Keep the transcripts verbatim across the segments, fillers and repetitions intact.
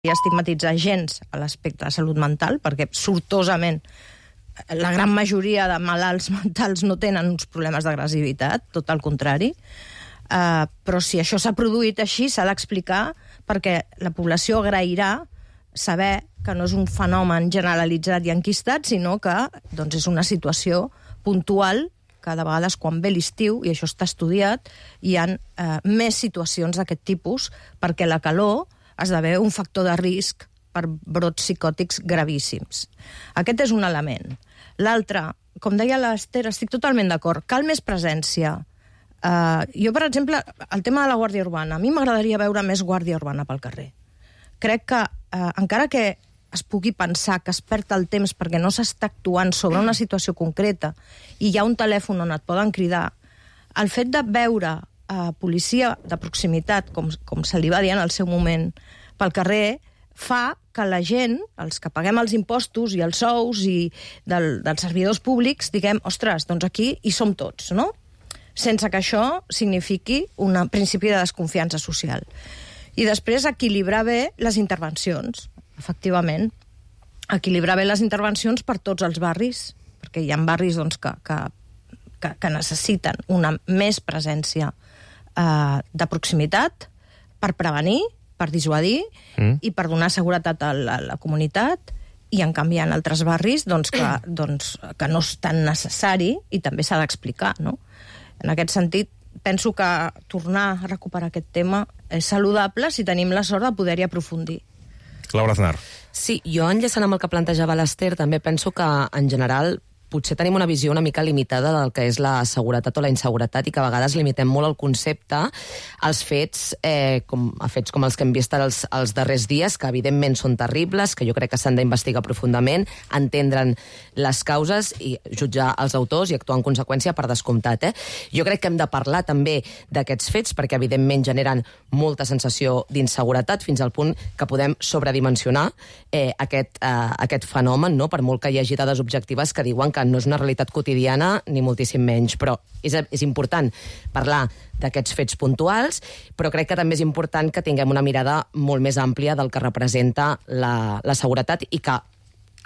i estigmatitzar gens a l'aspecte de salut mental, perquè sortosament la gran majoria de malalts mentals no tenen uns problemes d'agressivitat, tot al contrari. Uh, però si això s'ha produït així, s'ha d'explicar, perquè la població agrairà saber que no és un fenomen generalitzat i enquistat, sinó que doncs, és una situació puntual, que de vegades quan ve l'estiu, i això està estudiat, hi ha uh, més situacions d'aquest tipus, perquè la calor esdevé un factor de risc per brots psicòtics gravíssims. Aquest és un element. L'altre, com deia l'Ester, estic totalment d'acord, cal més presència. Uh, jo, per exemple, el tema de la Guàrdia Urbana, a mi m'agradaria veure més Guàrdia Urbana pel carrer. Crec que, uh, encara que es pugui pensar que es perd el temps perquè no s'està actuant sobre una situació concreta i hi ha un telèfon on et poden cridar, el fet de veure uh, policia de proximitat, com, com se li va dir en el seu moment, pel carrer, fa que la gent, els que paguem els impostos i els sous i del, dels servidors públics, diguem, ostres, doncs aquí hi som tots, no? Sense que això signifiqui un principi de desconfiança social. I després equilibrar bé les intervencions, efectivament. Equilibrar bé les intervencions per tots els barris, perquè hi ha barris doncs, que, que, que, que necessiten una més presència eh, de proximitat per prevenir, per dissuadir mm. i per donar seguretat a la, a la comunitat, i en canvi hi ha altres barris doncs, que, doncs, que no és tan necessari i també s'ha d'explicar, no? En aquest sentit, penso que tornar a recuperar aquest tema és saludable si tenim la sort de poder-hi aprofundir. Laura Aznar. Sí, jo enllaçant amb el que plantejava l'Ester, també penso que, en general, potser tenim una visió una mica limitada del que és la seguretat o la inseguretat i que a vegades limitem molt el concepte als fets, eh, com, a fets com els que hem vist els, els darrers dies, que evidentment són terribles, que jo crec que s'han d'investigar profundament, entendre'n les causes i jutjar els autors i actuar en conseqüència per descomptat. Eh? Jo crec que hem de parlar també d'aquests fets perquè evidentment generen molta sensació d'inseguretat fins al punt que podem sobredimensionar eh, aquest, eh, aquest fenomen, no? Per molt que hi hagi dades objectives que diuen que no és una realitat quotidiana, ni moltíssim menys, però és, és important parlar d'aquests fets puntuals, però crec que també és important que tinguem una mirada molt més àmplia del que representa la, la seguretat i que,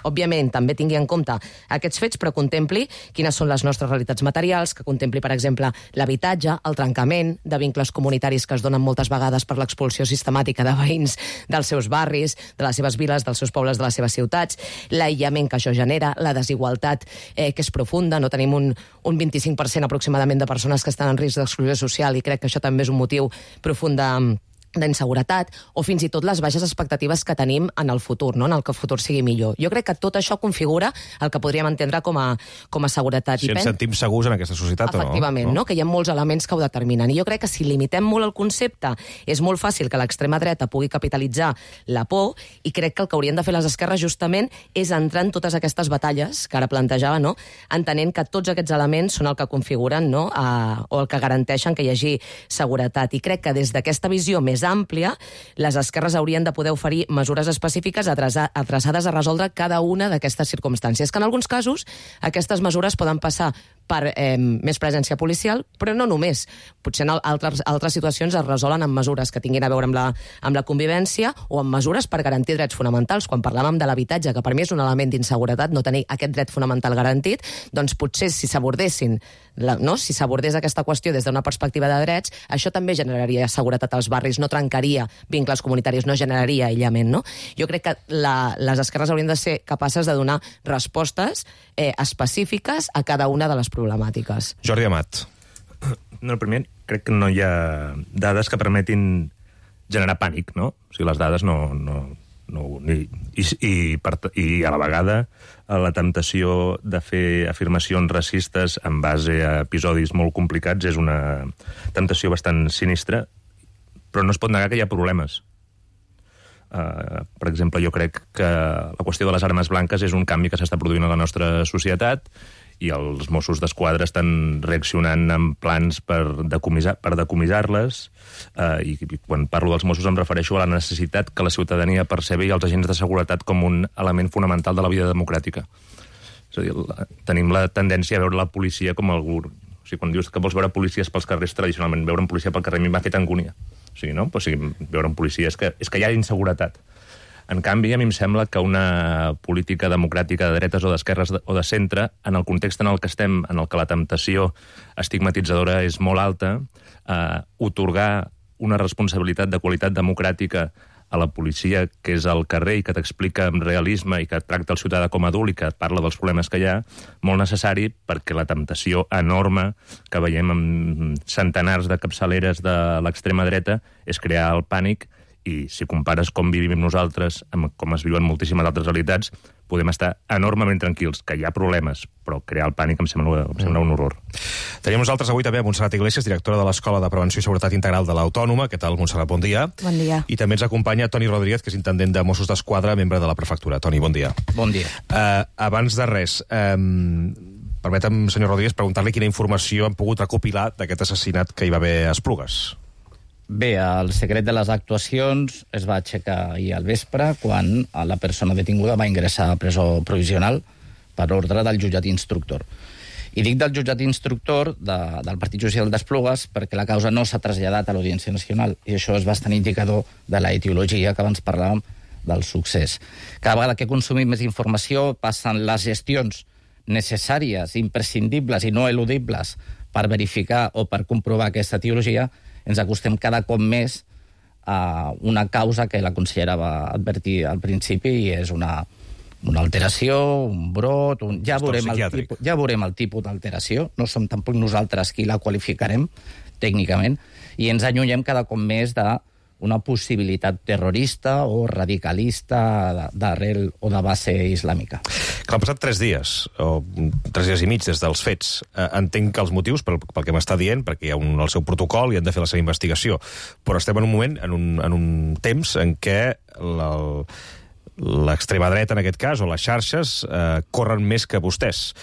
òbviament, també tingui en compte aquests fets, però contempli quines són les nostres realitats materials, que contempli, per exemple, l'habitatge, el trencament de vincles comunitaris que es donen moltes vegades per l'expulsió sistemàtica de veïns dels seus barris, de les seves viles, dels seus pobles, de les seves ciutats, l'aïllament que això genera, la desigualtat eh, que és profunda. No tenim un, un vint-i-cinc per cent aproximadament de persones que estan en risc d'exclusió social i crec que això també és un motiu profund de d'inseguretat, o fins i tot les baixes expectatives que tenim en el futur, no? En el que el futur sigui millor. Jo crec que tot això configura el que podríem entendre com a, com a seguretat. Si ens pen... sentim segurs en aquesta societat o no? Efectivament, no? Que hi ha molts elements que ho determinen. I jo crec que si limitem molt el concepte, és molt fàcil que l'extrema dreta pugui capitalitzar la por, i crec que el que haurien de fer les esquerres justament és entrar en totes aquestes batalles que ara plantejava, no? Entenent que tots aquests elements són el que configuren, no? A, o el que garanteixen que hi hagi seguretat. I crec que des d'aquesta visió més àmplia, les esquerres haurien de poder oferir mesures específiques adreçades a resoldre cada una d'aquestes circumstàncies, que en alguns casos aquestes mesures poden passar per eh, més presència policial, però no només. Potser en altres, altres situacions es resolen amb mesures que tinguin a veure amb la, amb la convivència o amb mesures per garantir drets fonamentals. Quan parlàvem de l'habitatge, que per mi és un element d'inseguretat, no tenir aquest dret fonamental garantit, doncs potser si s'abordessin, la, no? si s'abordés aquesta qüestió des d'una perspectiva de drets, això també generaria seguretat als barris, no trencaria vincles comunitaris, no generaria aïllament. No? Jo crec que la, les esquerres haurien de ser capaces de donar respostes eh, específiques a cada una de les problemàtiques. Jordi Amat. No, primer, crec que no hi ha dades que permetin generar pànic, no? O sigui, les dades no... no, no ni, i, i, per, I a la vegada la temptació de fer afirmacions racistes en base a episodis molt complicats és una temptació bastant sinistra, però no es pot negar que hi ha problemes. Uh, per exemple, jo crec que la qüestió de les armes blanques és un canvi que s'està produint a la nostra societat i els Mossos d'Esquadra estan reaccionant amb plans per decomissar, per decomissar-les, uh, i, i quan parlo dels Mossos em refereixo a la necessitat que la ciutadania percebi els agents de seguretat com un element fonamental de la vida democràtica. És a dir, la, tenim la tendència a veure la policia com algú... O sigui, quan dius que vols veure policies pels carrers, tradicionalment veure un policia pel carrer a mi m'ha fet angúnia. O sigui, no? O sigui, veure un policia és que, és que hi ha inseguretat. En canvi, a mi em sembla que una política democràtica de dretes o d'esquerres o de centre, en el context en el que estem, en el que la temptació estigmatitzadora és molt alta, eh, otorgar una responsabilitat de qualitat democràtica a la policia, que és al carrer i que t'explica amb realisme i que tracta el ciutadà com a adult i que et parla dels problemes que hi ha, molt necessari, perquè la temptació enorme que veiem amb centenars de capçaleres de l'extrema dreta és crear el pànic, i si compares com vivim nosaltres amb com es viuen moltíssimes altres realitats, podem estar enormement tranquils, que hi ha problemes, però crear el pànic em sembla, em sembla un horror. Tenim nosaltres avui també a Montserrat Iglesias, directora de l'Escola de Prevenció i Seguretat Integral de l'Autònoma. Què tal, Montserrat? Bon dia. Bon dia. I també ens acompanya Toni Rodríguez, que és intendent de Mossos d'Esquadra, membre de la prefectura. Toni, bon dia. Bon dia. Uh, abans de res, um, permetem, senyor Rodríguez, preguntar-li quina informació han pogut recopilar d'aquest assassinat que hi va haver a Esplugues. Bé, el secret de les actuacions es va aixecar ahir al vespre quan la persona detinguda va ingressar a presó provisional per ordre del jutjat instructor. I dic del jutjat instructor de, del Partit Judicial d'Esplugues perquè la causa no s'ha traslladat a l'Audiència Nacional, i això és bastant indicador de la etiologia que abans parlàvem del succés. Cada vegada que consumim més informació passen les gestions necessàries, imprescindibles i no eludibles per verificar o per comprovar aquesta etiologia, ens acostem cada cop més a una causa que la consellera va advertir al principi, i és una, una alteració, un brot... Un... Ja, veurem el tipus, ja veurem el tipus d'alteració, no som tampoc nosaltres qui la qualificarem tècnicament, i ens allunyem cada cop més de una possibilitat terrorista o radicalista d'arrel o de base islàmica. Que han passat tres dies, o tres dies i mig des dels fets. Eh, entenc que els motius, pel, pel que m'està dient, perquè hi ha un, el seu protocol i han de fer la seva investigació, però estem en un moment, en un, en un temps en què l'extrema dreta, en aquest cas, o les xarxes, eh, corren més que vostès.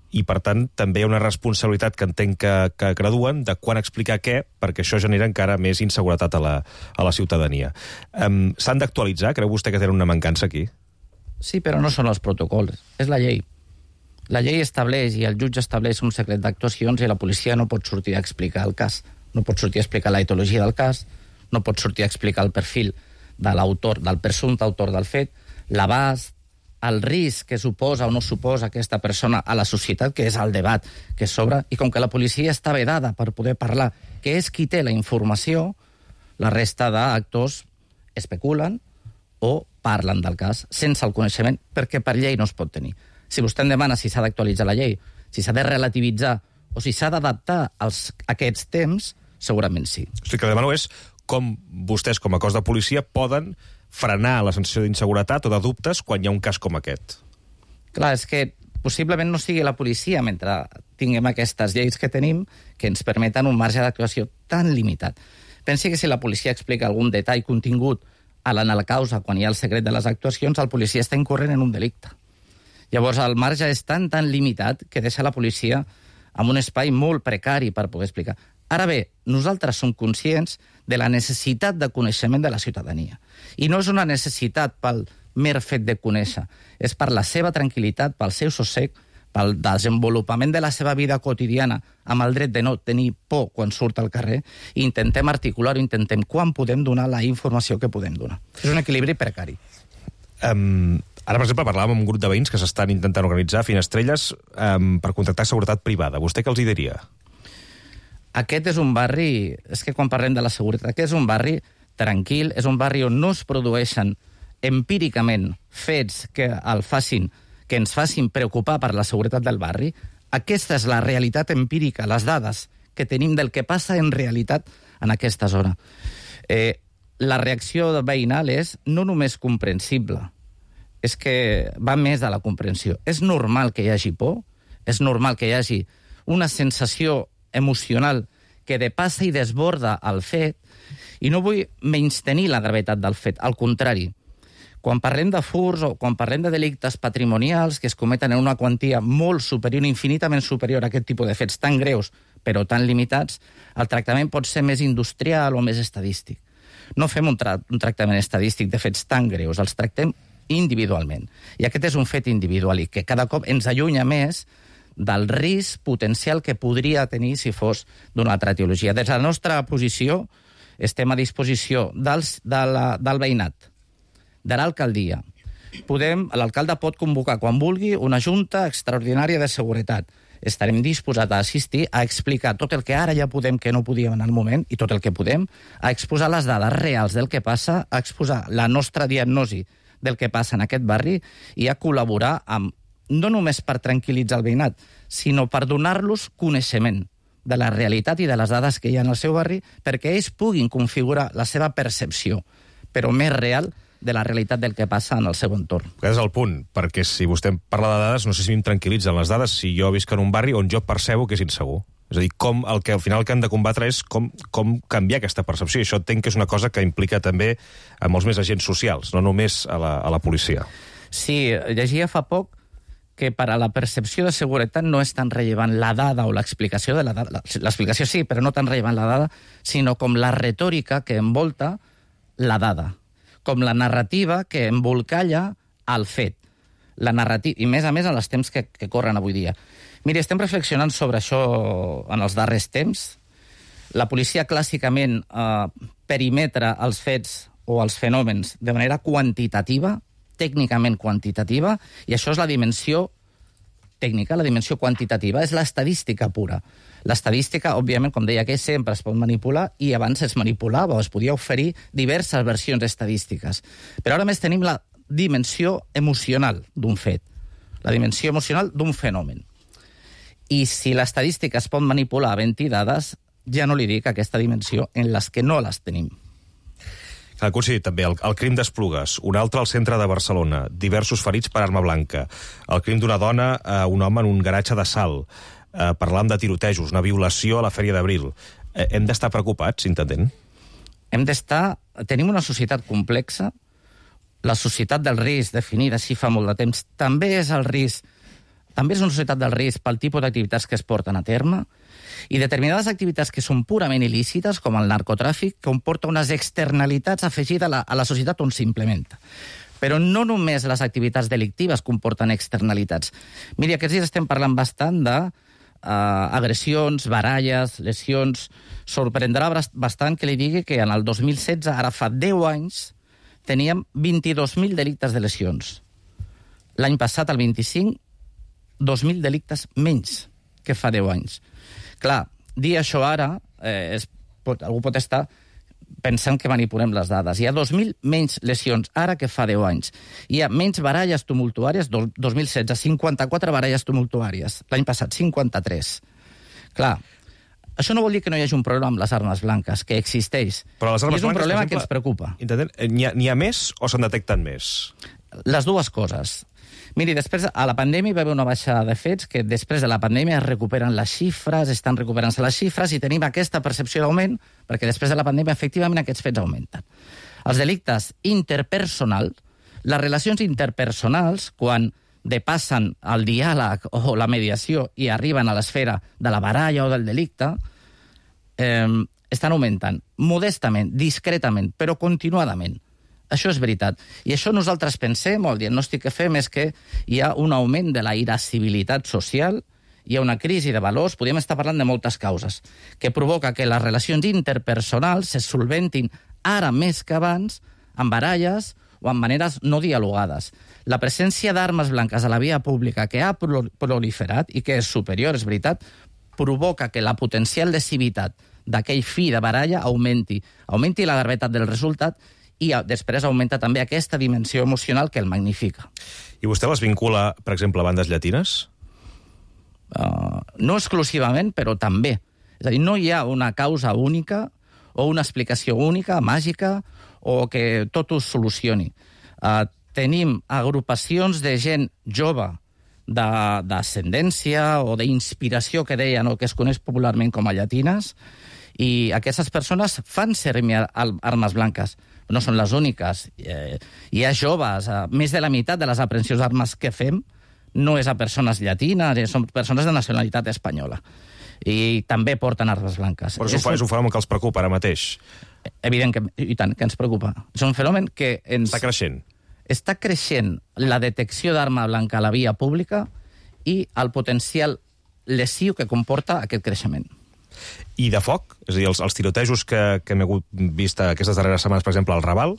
I, per tant, també hi ha una responsabilitat que entenc que, que graduen de quan explicar què, perquè això genera encara més inseguretat a la, a la ciutadania. Um, S'han d'actualitzar? Creu vostè que tenen una mancança aquí? Sí, però no són els protocols, és la llei. La llei estableix i el jutge estableix un secret d'actuacions i la policia no pot sortir a explicar el cas. No pot sortir a explicar la etologia del cas, no pot sortir a explicar el perfil de l'autor, del presumpte autor del fet, l'abast, el risc que suposa o no suposa aquesta persona a la societat, que és el debat que s'obre, i com que la policia està vedada per poder parlar, que és qui té la informació, la resta d'actors especulen o parlen del cas sense el coneixement, perquè per llei no es pot tenir. Si vostè em demana si s'ha d'actualitzar la llei, si s'ha de relativitzar o si s'ha d'adaptar als aquests temps, segurament sí. O sigui, que demano és com vostès, com a cos de policia, poden frenar la sensació d'inseguretat o de dubtes quan hi ha un cas com aquest. Clar, és que possiblement no sigui la policia, mentre tinguem aquestes lleis que tenim, que ens permeten un marge d'actuació tan limitat. Pensi que si la policia explica algun detall contingut a la, a la causa quan hi ha el secret de les actuacions, el policia està incorrent en un delicte. Llavors, el marge és tan, tan limitat que deixa la policia amb un espai molt precari per poder explicar. Ara bé, nosaltres som conscients de la necessitat de coneixement de la ciutadania. I no és una necessitat pel mer fet de conèixer, és per la seva tranquil·litat, pel seu sossec, pel desenvolupament de la seva vida quotidiana, amb el dret de no tenir por quan surt al carrer, i intentem articular-ho, intentem quan podem donar la informació que podem donar. És un equilibri precari. Um, ara, per exemple, parlàvem amb un grup de veïns que s'estan intentant organitzar finestrelles um, per contractar seguretat privada. Vostè què els hi diria? Aquest és un barri, és que quan parlem de la seguretat, aquest és un barri tranquil, és un barri on no es produeixen empíricament fets que el facin, que ens facin preocupar per la seguretat del barri. Aquesta és la realitat empírica, les dades que tenim del que passa en realitat en aquesta zona. Eh, la reacció veïnal és no només comprensible, és que va més de la comprensió. És normal que hi hagi por, és normal que hi hagi una sensació emocional que depassa i desborda el fet, i no vull menystenir la gravetat del fet, al contrari. Quan parlem de furs o quan parlem de delictes patrimonials que es cometen en una quantia molt superior, infinitament superior a aquest tipus de fets tan greus, però tan limitats, el tractament pot ser més industrial o més estadístic. No fem un, tra un tractament estadístic de fets tan greus, els tractem individualment. I aquest és un fet individual i que cada cop ens allunya més del risc potencial que podria tenir si fos d'una altra etiologia. Des de la nostra posició estem a disposició dels, de la, del veïnat, de l'alcaldia. Podem, l'alcalde pot convocar quan vulgui una junta extraordinària de seguretat. Estarem disposats a assistir, a explicar tot el que ara ja podem que no podíem en el moment, i tot el que podem, a exposar les dades reals del que passa, a exposar la nostra diagnosi del que passa en aquest barri i a col·laborar amb, no només per tranquil·litzar el veïnat, sinó per donar-los coneixement de la realitat i de les dades que hi ha en el seu barri perquè ells puguin configurar la seva percepció, però més real, de la realitat del que passa en el seu entorn. Aquest és el punt, perquè si vostè em parla de dades, no sé si em tranquil·litzen les dades si jo visc en un barri on jo percebo que és insegur. És a dir, com el que al final que han de combatre és com, com canviar aquesta percepció. I això entenc que és una cosa que implica també a molts més agents socials, no només a la, a la policia. Sí, llegia fa poc que per a la percepció de seguretat no és tan rellevant la dada o l'explicació de la dada. L'explicació sí, però no tan rellevant la dada, sinó com la retòrica que envolta la dada, com la narrativa que embolcalla el fet. La narrativa, i més a més en els temps que, que corren avui dia. Miri, estem reflexionant sobre això en els darrers temps. La policia clàssicament eh, perimetra els fets o els fenòmens de manera quantitativa, tècnicament quantitativa, i això és la dimensió tècnica, la dimensió quantitativa, és l'estadística pura. L'estadística, òbviament, com deia, que sempre es pot manipular, i abans es manipulava, o es podia oferir diverses versions estadístiques. Però ara més tenim la dimensió emocional d'un fet, la dimensió emocional d'un fenomen. I si l'estadística es pot manipular havent-hi dades, ja no li dic aquesta dimensió en les que no les tenim. Ha coincidit també el, el crim d'Esplugues, un altre al centre de Barcelona, diversos ferits per arma blanca, el crim d'una dona a un home en un garatge de Salt, eh, parlant de tirotejos, una violació a la Fèria d'Abril. Eh, hem d'estar preocupats, intendent? Hem d'estar... Tenim una societat complexa, la societat del risc, definida així fa molt de temps, també és el risc, també és una societat del risc pel tipus d'activitats que es porten a terme, i determinades activitats que són purament il·lícites, com el narcotràfic, comporta unes externalitats afegides a la, a la societat on s'implementa. Però no només les activitats delictives comporten externalitats. Miri, aquests dies estem parlant bastant de uh, agressions, baralles, lesions. Sorprendrà bastant que li digui que en el dos mil setze, ara fa deu anys, teníem vint-i-dos mil delictes de lesions. L'any passat, el vint-i-cinc, dos mil delictes menys que fa deu anys. Clar, dir això ara, eh, és, pot, algú pot estar pensant que manipulem les dades. Hi ha dos mil menys lesions ara que fa deu anys. Hi ha menys baralles tumultuàries, do, dos mil setze, cinquanta-quatre baralles tumultuàries. L'any passat, cinquanta-tres. Clar, això no vol dir que no hi hagi un problema amb les armes blanques, que existeix. Però les armes I és un blanques, problema exemple, que ens preocupa. N'hi ha, n'hi ha més o se'n detecten més? Les dues coses. Miri, després, a la pandèmia hi va haver una baixada de fets que després de la pandèmia es recuperen les xifres, estan recuperant-se les xifres i tenim aquesta percepció d'augment perquè després de la pandèmia, efectivament, aquests fets augmenten. Els delictes interpersonals, les relacions interpersonals, quan depassen el diàleg o la mediació i arriben a l'esfera de la baralla o del delicte, eh, estan augmentant modestament, discretament, però continuadament. Això és veritat. I això nosaltres pensem, o el diagnòstic que fem, és que hi ha un augment de la irascibilitat social, hi ha una crisi de valors, podríem estar parlant de moltes causes, que provoca que les relacions interpersonals se solventin ara més que abans amb baralles o amb maneres no dialogades. La presència d'armes blanques a la via pública, que ha proliferat i que és superior, és veritat, provoca que la potencial lesivitat d'aquell fi de baralla augmenti, augmenti la gravetat del resultat i després augmenta també aquesta dimensió emocional que el magnifica. I vostè les vincula, per exemple, a bandes llatines? Uh, no exclusivament, però també. És a dir, no hi ha una causa única o una explicació única, màgica, o que tot ho solucioni. Uh, tenim agrupacions de gent jove d'ascendència o d'inspiració, que deien, o que es coneix popularment com a llatines, i aquestes persones fan servir armes blanques. No són les úniques. Eh, hi ha joves, eh, més de la meitat de les aprehensions d'armes que fem no és a persones llatines, eh, són persones de nacionalitat espanyola. I també porten armes blanques. Però és, un, és un fenomen que els preocupa ara mateix. Evident que, i tant, que ens preocupa. És un fenomen que ens... Està creixent. Està creixent la detecció d'arma blanca a la via pública i el potencial lesiu que comporta aquest creixement. I de foc, és a dir, els, els tirotejos que, que hem hagut vist aquestes darreres setmanes, per exemple, al Raval,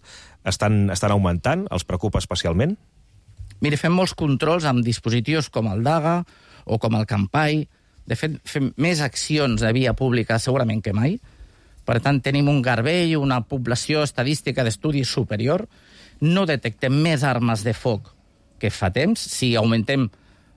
estan, estan augmentant, els preocupa especialment? Mira, fem molts controls amb dispositius com el DAGA o com el Campai. De fet, fem més accions de via pública segurament que mai. Per tant, tenim un garbell, una població estadística d'estudi superior. No detectem més armes de foc que fa temps. Si augmentem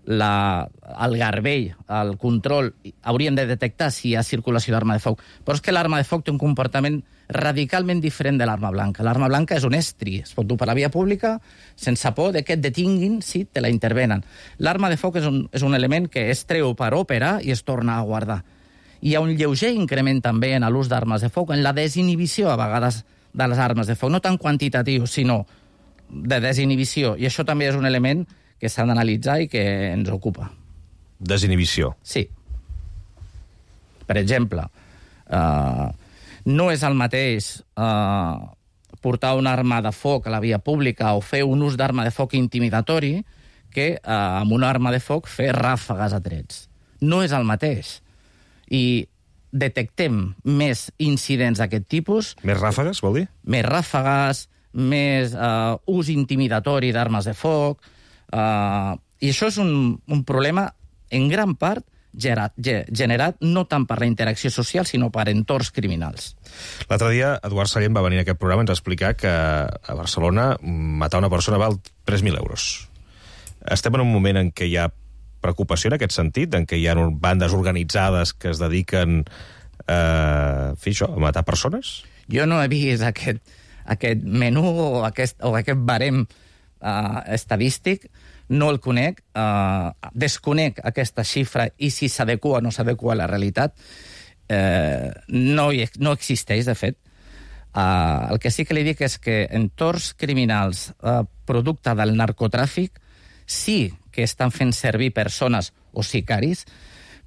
la, el garbell, el control, hauríem de detectar si hi ha circulació d'arma de foc. Però és que l'arma de foc té un comportament radicalment diferent de l'arma blanca. L'arma blanca és un estri, es pot dur per la via pública sense por de que et detinguin si te la intervenen. L'arma de foc és un, és un element que es treu per òpera i es torna a guardar. Hi ha un lleuger increment també en l'ús d'armes de foc, en la desinhibició a vegades de les armes de foc, no tan quantitatiu, sinó de desinhibició. I això també és un element que s'ha d'analitzar i que ens ocupa. Desinhibició. Sí. Per exemple, eh, no és el mateix eh, portar una arma de foc a la via pública o fer un ús d'arma de foc intimidatori que eh, amb una arma de foc fer ràfegues a trets. No és el mateix. I detectem més incidents d'aquest tipus. Més ràfegues, vol dir? Més ràfegues, més eh, ús intimidatori d'armes de foc. Uh, I això és un, un problema, en gran part, generat, generat no tant per la interacció social, sinó per entorns criminals. L'altre dia, Eduard Sallent va venir a aquest programa i ens va explicar que a Barcelona matar una persona val tres mil euros. Estem en un moment en què hi ha preocupació en aquest sentit, en què hi ha bandes organitzades que es dediquen eh, a fer això, a matar persones? Jo no he vist aquest, aquest menú o aquest, o aquest barem Uh, estadístic, no el conec, uh, desconec aquesta xifra i si s'adequa o no s'adequa a la realitat. Uh, no, hi, no existeix, de fet. Uh, el que sí que li dic és que entorns criminals uh, producte del narcotràfic sí que estan fent servir persones o sicaris,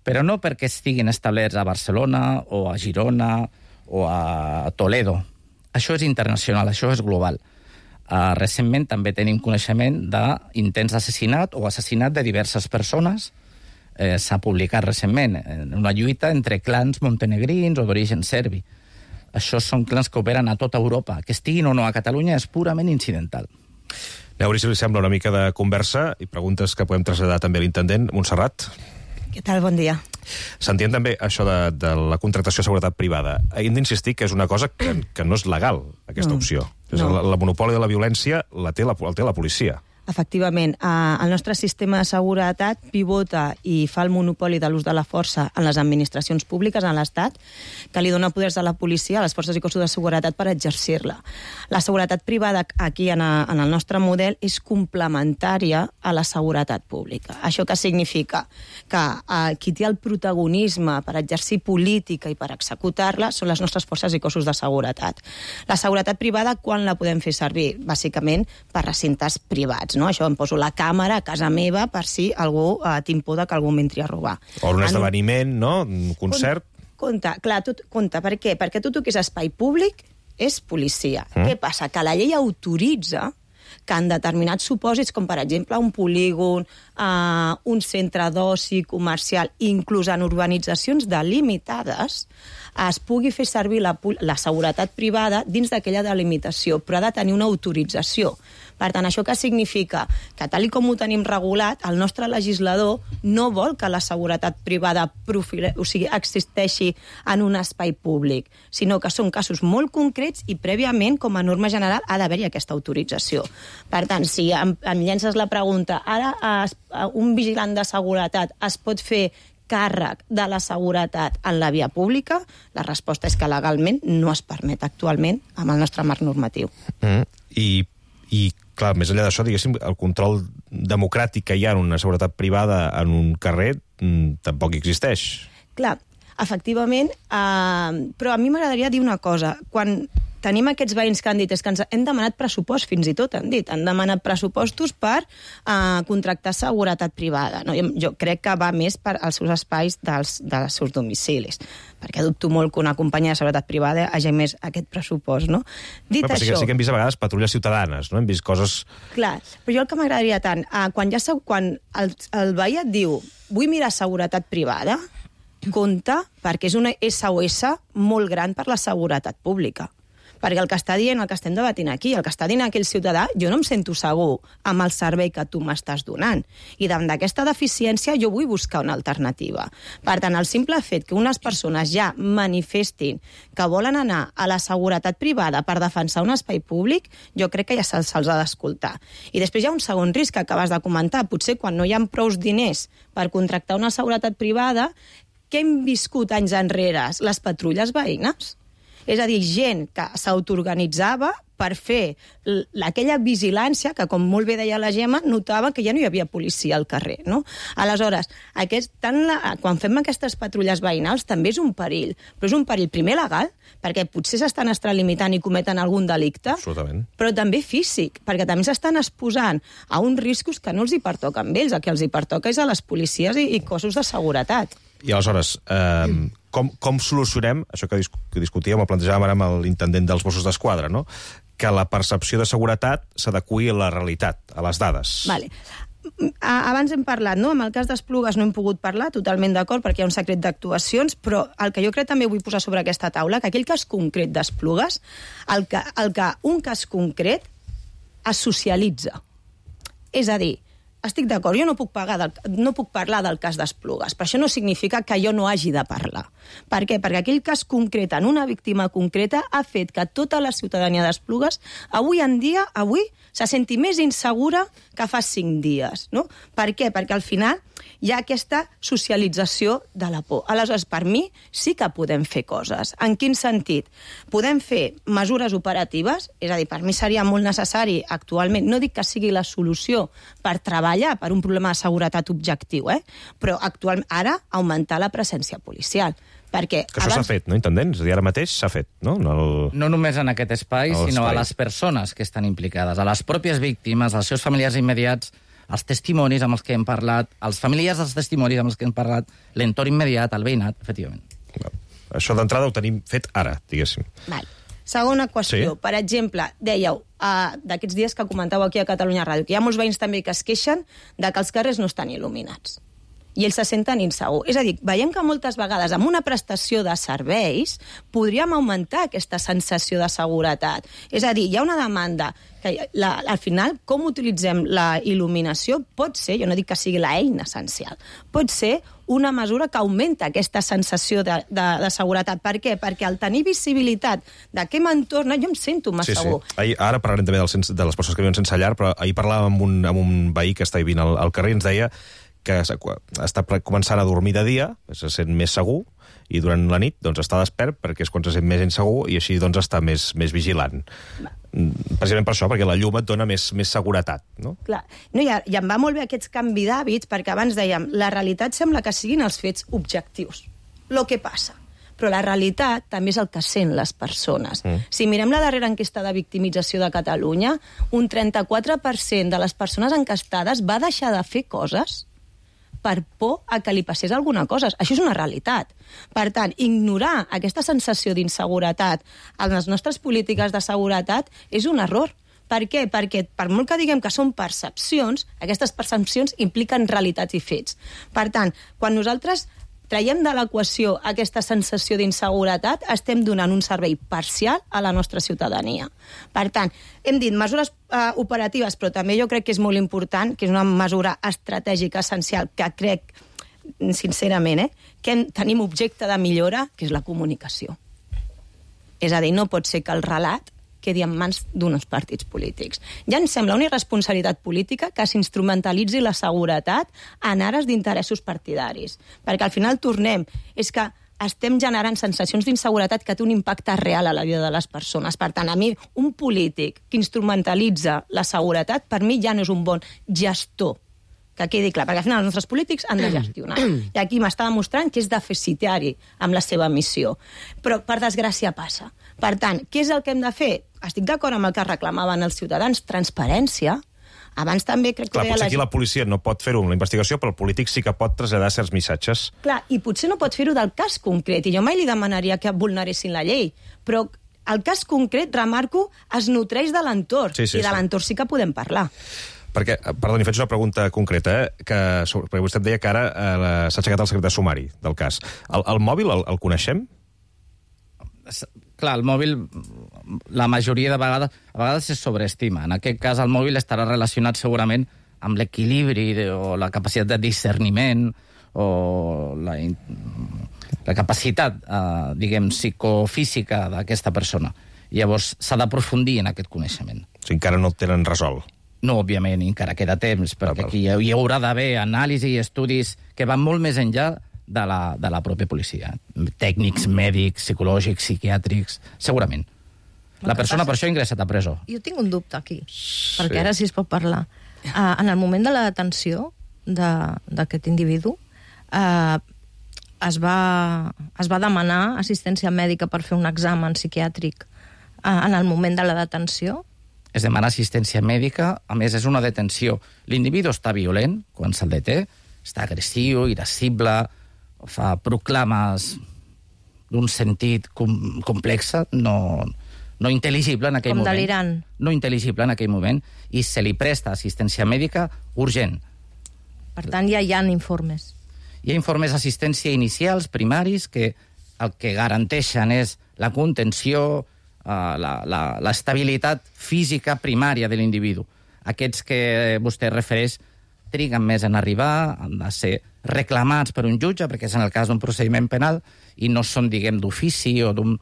però no perquè estiguin establerts a Barcelona o a Girona o a Toledo. Això és internacional, això és global. Uh, recentment també tenim coneixement d'intents d'assassinat o assassinat de diverses persones. Eh, s'ha publicat recentment en una lluita entre clans montenegrins o d'origen serbi. Això són clans que operen a tota Europa. Que estiguin o no a Catalunya és purament incidental. A veure si li sembla una mica de conversa i preguntes que podem traslladar també a l'intendent. Montserrat. Què tal? Bon dia. S'entén també això de, de la contractació de seguretat privada. Hem d'insistir que és una cosa que, que no és legal, aquesta no, opció. No. La, la monopoli de la violència la té la, el té la policia. Efectivament, eh, el nostre sistema de seguretat pivota i fa el monopoli de l'ús de la força en les administracions públiques, en l'Estat, que li dona poders a la policia, a les forces i cossos de seguretat per exercir-la. La seguretat privada aquí en, a, en el nostre model és complementària a la seguretat pública. Això que significa que eh, qui té el protagonisme per exercir política i per executar-la són les nostres forces i cossos de seguretat. La seguretat privada, quan la podem fer servir? Bàsicament per recintes privats. No? Això em poso la càmera a casa meva per si algú eh, tinc por que algú m'entri a robar. O un esdeveniment, no? Un concert. Compte, clar, tot, compte, per què? Perquè tot el que és espai públic és policia. Mm. Què passa? Que la llei autoritza que en determinats supòsits, com per exemple un polígon, eh, un centre d'oci comercial, inclús en urbanitzacions delimitades, es pugui fer servir la, la seguretat privada dins d'aquella delimitació, però ha de tenir una autorització. Per tant, això què significa? Que tal com ho tenim regulat, el nostre legislador no vol que la seguretat privada profile, o sigui, existeixi en un espai públic, sinó que són casos molt concrets i prèviament, com a norma general, ha d'haver-hi aquesta autorització. Per tant, si em, em llences la pregunta, ara es, un vigilant de seguretat es pot fer càrrec de la seguretat en la via pública? La resposta és que legalment no es permet actualment amb el nostre marc normatiu. Mm. I, I, clar, més enllà d'això, diguéssim, el control democràtic que hi ha en una seguretat privada en un carrer mm, tampoc existeix. Clar, efectivament, eh, però a mi m'agradaria dir una cosa. Quan tenim aquests veïns que han dit és que ens hem demanat pressupost, fins i tot han dit, han demanat pressupostos per eh, contractar seguretat privada. No? Jo, jo crec que va més per als seus espais dels, dels seus domicilis, perquè dubto molt que una companyia de seguretat privada hagi més aquest pressupost, no? Dit però això... Sí que hem vist a vegades patrulles ciutadanes, no? Hem vist coses... Clar, però jo el que m'agradaria tant, eh, quan, ja, quan el, el veí et diu vull mirar seguretat privada, compte, perquè és una essa o esse molt gran per la seguretat pública. Perquè el que està dient, el que estem debatint aquí, el que està dient aquell ciutadà, jo no em sento segur amb el servei que tu m'estàs donant. I davant d'aquesta deficiència jo vull buscar una alternativa. Per tant, el simple fet que unes persones ja manifestin que volen anar a la seguretat privada per defensar un espai públic, jo crec que ja se'ls ha d'escoltar. I després hi ha un segon risc que acabes de comentar. Potser quan no hi ha prous diners per contractar una seguretat privada, què hem viscut anys enrere? Les patrulles veïnes. És a dir, gent que s'autoorganitzava per fer aquella vigilància que, com molt bé deia la Gemma, notava que ja no hi havia policia al carrer, no? Aleshores, aquest, tant la, quan fem aquestes patrulles veïnals també és un perill, però és un perill primer legal, perquè potser s'estan extralimitant i cometen algun delicte, però també físic, perquè també s'estan exposant a uns riscos que no els hi pertoquen a ells, el que els hi pertoca és a les policies i, i cossos de seguretat. I aleshores, eh, com, com solucionem això que, dis que discutíem o plantejàvem ara amb l'intendent dels Mossos d'Esquadra, no? Que la percepció de seguretat s'adeqüi a la realitat, a les dades. Vale. Abans hem parlat, no? Amb el cas d'Esplugues no hem pogut parlar, totalment d'acord, perquè hi ha un secret d'actuacions, però el que jo crec també vull posar sobre aquesta taula, que aquell cas concret d'Esplugues, el que, el que un cas concret es socialitza. És a dir, estic d'acord, jo no puc, pagar del, no puc parlar del cas d'Esplugues, però això no significa que jo no hagi de parlar. Per què? Perquè aquell cas concret, en una víctima concreta, ha fet que tota la ciutadania d'Esplugues, avui en dia, avui, se senti més insegura que fa cinc dies. No? Per què? Perquè al final hi ha aquesta socialització de la por. Aleshores, per mi, sí que podem fer coses. En quin sentit? Podem fer mesures operatives, és a dir, per mi seria molt necessari actualment, no dic que sigui la solució per treballar per un problema de seguretat objectiu, eh? Però actualment, ara, augmentar la presència policial. Perquè que això abans... s'ha fet, no, intendent? És a dir, ara mateix s'ha fet, no? No, el... no només en aquest espai, el sinó espai. a les persones que estan implicades, a les pròpies víctimes, als seus familiars immediats, els testimonis amb els que hem parlat, els familiars dels testimonis amb els que hem parlat, l'entorn immediat, el veïnat, efectivament. Això d'entrada ho tenim fet ara, diguéssim. Val. Segona qüestió. Sí. Per exemple, dèieu, uh, d'aquests dies que comentàveu aquí a Catalunya Ràdio, que hi ha molts veïns també que es queixen de que els carrers no estan il·luminats. I ells se senten insegurs. És a dir, veiem que moltes vegades amb una prestació de serveis podríem augmentar aquesta sensació de seguretat. És a dir, hi ha una demanda que la, al final, com utilitzem la il·luminació pot ser, jo no dic que sigui l'eina essencial, pot ser una mesura que augmenta aquesta sensació de, de, de seguretat. Per què? Perquè al tenir visibilitat de què m'entorna, jo em sento més sí, segur. Sí. Ahir, ara parlarem també dels, de les persones que viuen sense llar, però ahir parlàvem amb un, amb un veí que està vivint al, al carrer i ens deia que està començant a dormir de dia, se sent més segur, i durant la nit doncs, està despert perquè és quan se sent més insegur i així doncs, està més, més vigilant. Va. Precisament per això, perquè la llum et dona més, més seguretat. No? Clar. No, i, I em va molt bé aquests canvi d'hàbits, perquè abans dèiem, la realitat sembla que siguin els fets objectius. Lo que passa. Però la realitat també és el que sent les persones. Mm. Si mirem la darrera enquesta de victimització de Catalunya, un trenta-quatre per cent de les persones enquestades va deixar de fer coses per por a que li passés alguna cosa. Això és una realitat. Per tant, ignorar aquesta sensació d'inseguretat en les nostres polítiques de seguretat és un error. Per què? Perquè, per molt que diguem que són percepcions, aquestes percepcions impliquen realitats i fets. Per tant, quan nosaltres traiem de l'equació aquesta sensació d'inseguretat, estem donant un servei parcial a la nostra ciutadania. Per tant, hem dit mesures eh, operatives, però també jo crec que és molt important, que és una mesura estratègica essencial, que crec, sincerament, eh, que tenim objecte de millora, que és la comunicació. És a dir, no pot ser que el relat quedi en mans d'uns partits polítics. Ja em sembla una irresponsabilitat política que s'instrumentalitzi la seguretat en ares d'interessos partidaris. Perquè al final tornem, és que estem generant sensacions d'inseguretat que té un impacte real a la vida de les persones. Per tant, a mi, un polític que instrumentalitza la seguretat, per mi ja no és un bon gestor. Que quedi clar, perquè al final els nostres polítics han de gestionar. I aquí m'està demostrant que és deficitari amb la seva missió. Però, per desgràcia, passa. Per tant, què és el que hem de fer? Estic d'acord amb el que reclamaven els ciutadans, transparència. Abans també crec que... Clar, potser aquí la policia no pot fer-ho amb la investigació, però el polític sí que pot traslladar certs missatges. Clar, i potser no pot fer-ho del cas concret, i jo mai li demanaria que vulneressin la llei, però el cas concret, remarco, es nutreix de l'entorn, sí, sí, i de sí. l'entorn sí que podem parlar. Perquè, perdoni, faig una pregunta concreta, eh? que, perquè vostè em deia que ara eh, s'ha aixecat el secret de sumari del cas. El, el mòbil el, el coneixem? Clar, el mòbil, la majoria de vegades, a vegades es sobreestima. En aquest cas, el mòbil estarà relacionat segurament amb l'equilibri o la capacitat de discerniment o la, la capacitat, eh, diguem, psicofísica d'aquesta persona. Llavors, s'ha d'aprofundir en aquest coneixement. O sigui, encara no el tenen resolt. No, òbviament, encara queda temps, perquè ah, aquí hi haurà d'haver anàlisi i estudis que van molt més enllà de la, de la pròpia policia. Tècnics, mèdics, psicològics, psiquiàtrics, segurament. La persona per això ha ingressat a presó. Jo tinc un dubte aquí, sí. perquè ara sí es pot parlar. Uh, en el moment de la detenció d'aquest individu, uh, es, va, es va demanar assistència mèdica per fer un examen psiquiàtric uh, en el moment de la detenció? Es demana assistència mèdica, a més és una detenció. L'individu està violent quan se'l deté, està agressiu, irascible, fa proclames d'un sentit com, complex, no, no intel·ligible en aquell Com moment. Com delirant. No intel·ligible en aquell moment, i se li presta assistència mèdica urgent. Per tant, ja hi ha informes. Hi ha informes d'assistència inicials, primaris, que el que garanteixen és la contenció, Uh, l'estabilitat física primària de l'individu. Aquests que vostè refereix triguen més en arribar, han de ser reclamats per un jutge, perquè és en el cas d'un procediment penal, i no són, diguem, d'ofici o d'un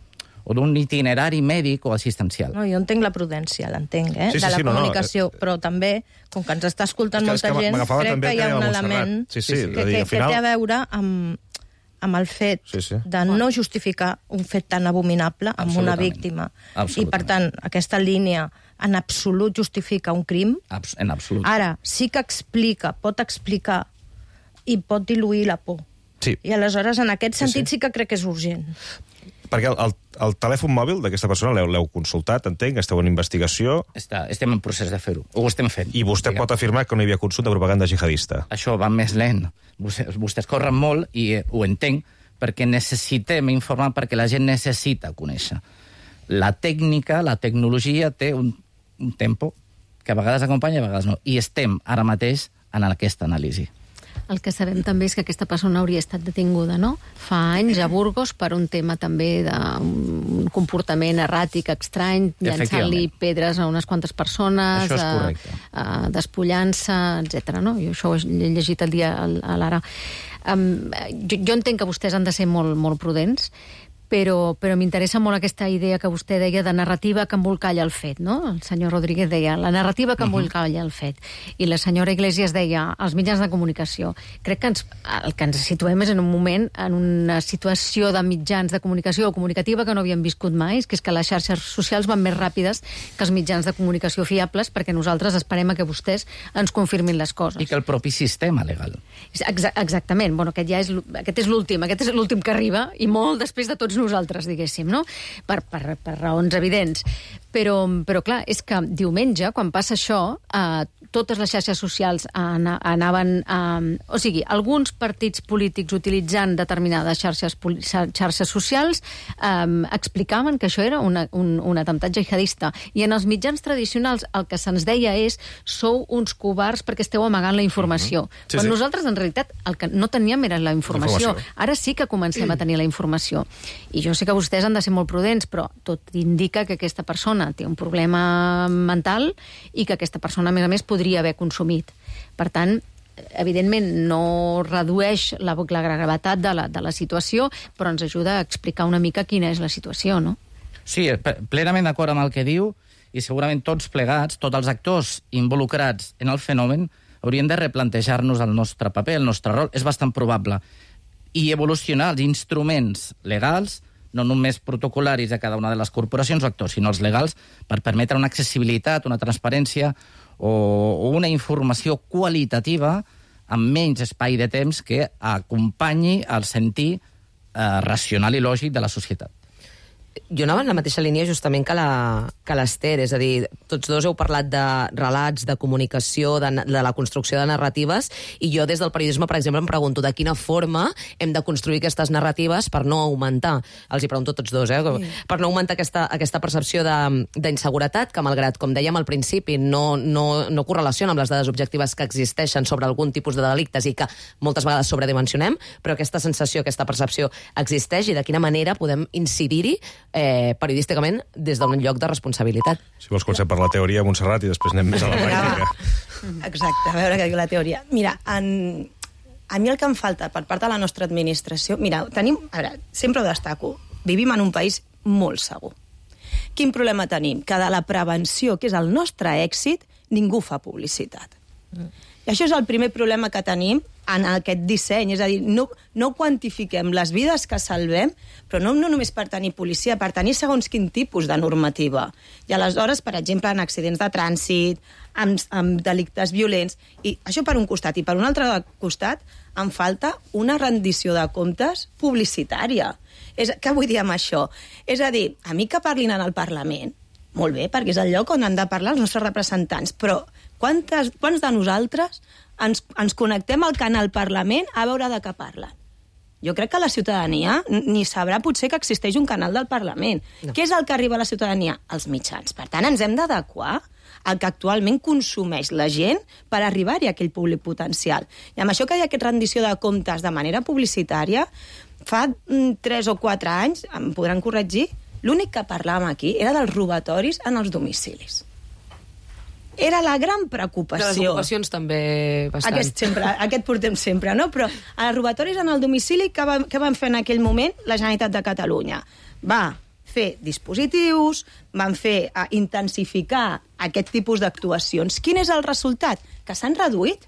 o d'un itinerari mèdic o assistencial. No, jo entenc la prudència, l'entenc, eh? Sí, sí, de la sí, no, comunicació, no, però també, com que ens està escoltant és que, molta és que gent, crec també que hi ha un Montserrat. element sí, sí, que, dir, que, final... que té a veure amb, amb el fet sí, sí. de no justificar un fet tan abominable amb una víctima. I, per tant, aquesta línia en absolut justifica un crim. Abs en absolut. Ara, sí que explica, pot explicar i pot diluir la por. Sí. I aleshores, en aquest sentit, sí, sí. sí que crec que és urgent. Perquè el, el, el telèfon mòbil d'aquesta persona l'heu consultat, entenc, esteu en investigació... Està, estem en procés de fer-ho, ho estem fent. I vostè diguem. pot afirmar que no hi havia consum de propaganda jihadista. Això va més lent. Vostès, vostès corren molt i eh, ho entenc, perquè necessitem informar, perquè la gent necessita conèixer. La tècnica, la tecnologia té un, un tempo que a vegades acompanya i a vegades no. I estem ara mateix en aquesta anàlisi. El que sabem també és que aquesta persona hauria estat detinguda, no? Fa anys a Burgos per un tema també d'un comportament erràtic, estrany, llançant-li pedres a unes quantes persones, això és correcte. A, a despullant-se, etcètera. No? Jo això ho he llegit el dia a l'Ara. Um, jo, jo entenc que vostès han de ser molt, molt prudents, però, però m'interessa molt aquesta idea que vostè deia de narrativa que embolcalla el fet, no? El senyor Rodríguez deia la narrativa que embolcalla el fet. I la senyora Iglesias deia els mitjans de comunicació. Crec que ens, el que ens situem és en un moment, en una situació de mitjans de comunicació o comunicativa que no havíem viscut mai, que és que les xarxes socials van més ràpides que els mitjans de comunicació fiables, perquè nosaltres esperem a que vostès ens confirmin les coses. I que el propi sistema legal. Exa exactament. Bueno, aquest ja és, aquest és l'últim, aquest és l'últim que arriba, i molt després de tots nosaltres, diguéssim, no? Per, per, per raons evidents. Però, però clar, és que diumenge, quan passa això, eh, totes les xarxes socials anaven... Eh, o sigui, alguns partits polítics utilitzant determinades xarxes, xarxes socials eh, explicaven que això era una, un, un atemptat jihadista. I en els mitjans tradicionals el que se'ns deia és sou uns covards perquè esteu amagant la informació. Mm-hmm. Sí, Però sí. nosaltres, en realitat, el que no teníem era la informació. informació. Ara sí que comencem a tenir la informació. I jo sé que vostès han de ser molt prudents, però tot indica que aquesta persona té un problema mental i que aquesta persona, a més a més, podria haver consumit. Per tant, evidentment no redueix la, la gravetat de la, de la situació, però ens ajuda a explicar una mica quina és la situació, no? Sí, plenament d'acord amb el que diu, i segurament tots plegats, tots els actors involucrats en el fenomen, haurien de replantejar-nos el nostre paper, el nostre rol. És bastant probable. I evolucionar els instruments legals, no només protocolaris a cada una de les corporacions o actors, sinó els legals, per permetre una accessibilitat, una transparència o, o una informació qualitativa amb menys espai de temps que acompanyi el sentir eh, racional i lògic de la societat. jo anava en la mateixa línia justament que la, que l'Ester, és a dir, tots dos heu parlat de relats, de comunicació, de, de la construcció de narratives, i jo des del periodisme, per exemple, em pregunto de quina forma hem de construir aquestes narratives per no augmentar, els hi pregunto tots dos, eh? Sí. Per no augmentar aquesta, aquesta percepció d'inseguretat, que malgrat, com dèiem al principi, no, no, no correlaciona amb les dades objectives que existeixen sobre algun tipus de delictes i que moltes vegades sobredimensionem, però aquesta sensació, aquesta percepció existeix, i de quina manera podem incidir-hi eh, periodísticament des d'un lloc de responsabilitat. Si vols comencem per la teoria, Montserrat, i després anem més a la pràctica. Exacte, a veure què diu la teoria. Mira, en... a mi el que em falta per part de la nostra administració... Mira, tenim... A veure, sempre ho destaco. Vivim en un país molt segur. Quin problema tenim? Que de la prevenció, que és el nostre èxit, ningú fa publicitat. Mm. I això és el primer problema que tenim en aquest disseny, és a dir, no, no quantifiquem les vides que salvem, però no, no només per tenir policia, per tenir segons quin tipus de normativa. I aleshores, per exemple, en accidents de trànsit, amb, amb delictes violents, i això per un costat, i per un altre costat em falta una rendició de comptes publicitària. És, què vull dir amb això? És a dir, a mi que parlin en el Parlament, molt bé, perquè és el lloc on han de parlar els nostres representants, però quantes, quants de nosaltres ens, ens connectem al canal Parlament a veure de què parlen? Jo crec que la ciutadania ni sabrà potser que existeix un canal del Parlament. No. Què és el que arriba a la ciutadania? Els mitjans. Per tant, ens hem d'adequar al que actualment consumeix la gent per arribar-hi a aquell públic potencial. I amb això que hi ha aquesta rendició de comptes de manera publicitària, fa mm, tres o quatre anys, em podran corregir, l'únic que parlàvem aquí era dels robatoris en els domicilis. Era la gran preocupació. De les ocupacions també bastant. Aquest, sempre, aquest portem sempre, no? Però els robatoris en el domicili, què van, què van fer en aquell moment la Generalitat de Catalunya? Va fer dispositius, van fer uh, intensificar aquest tipus d'actuacions. Quin és el resultat? Que s'han reduït.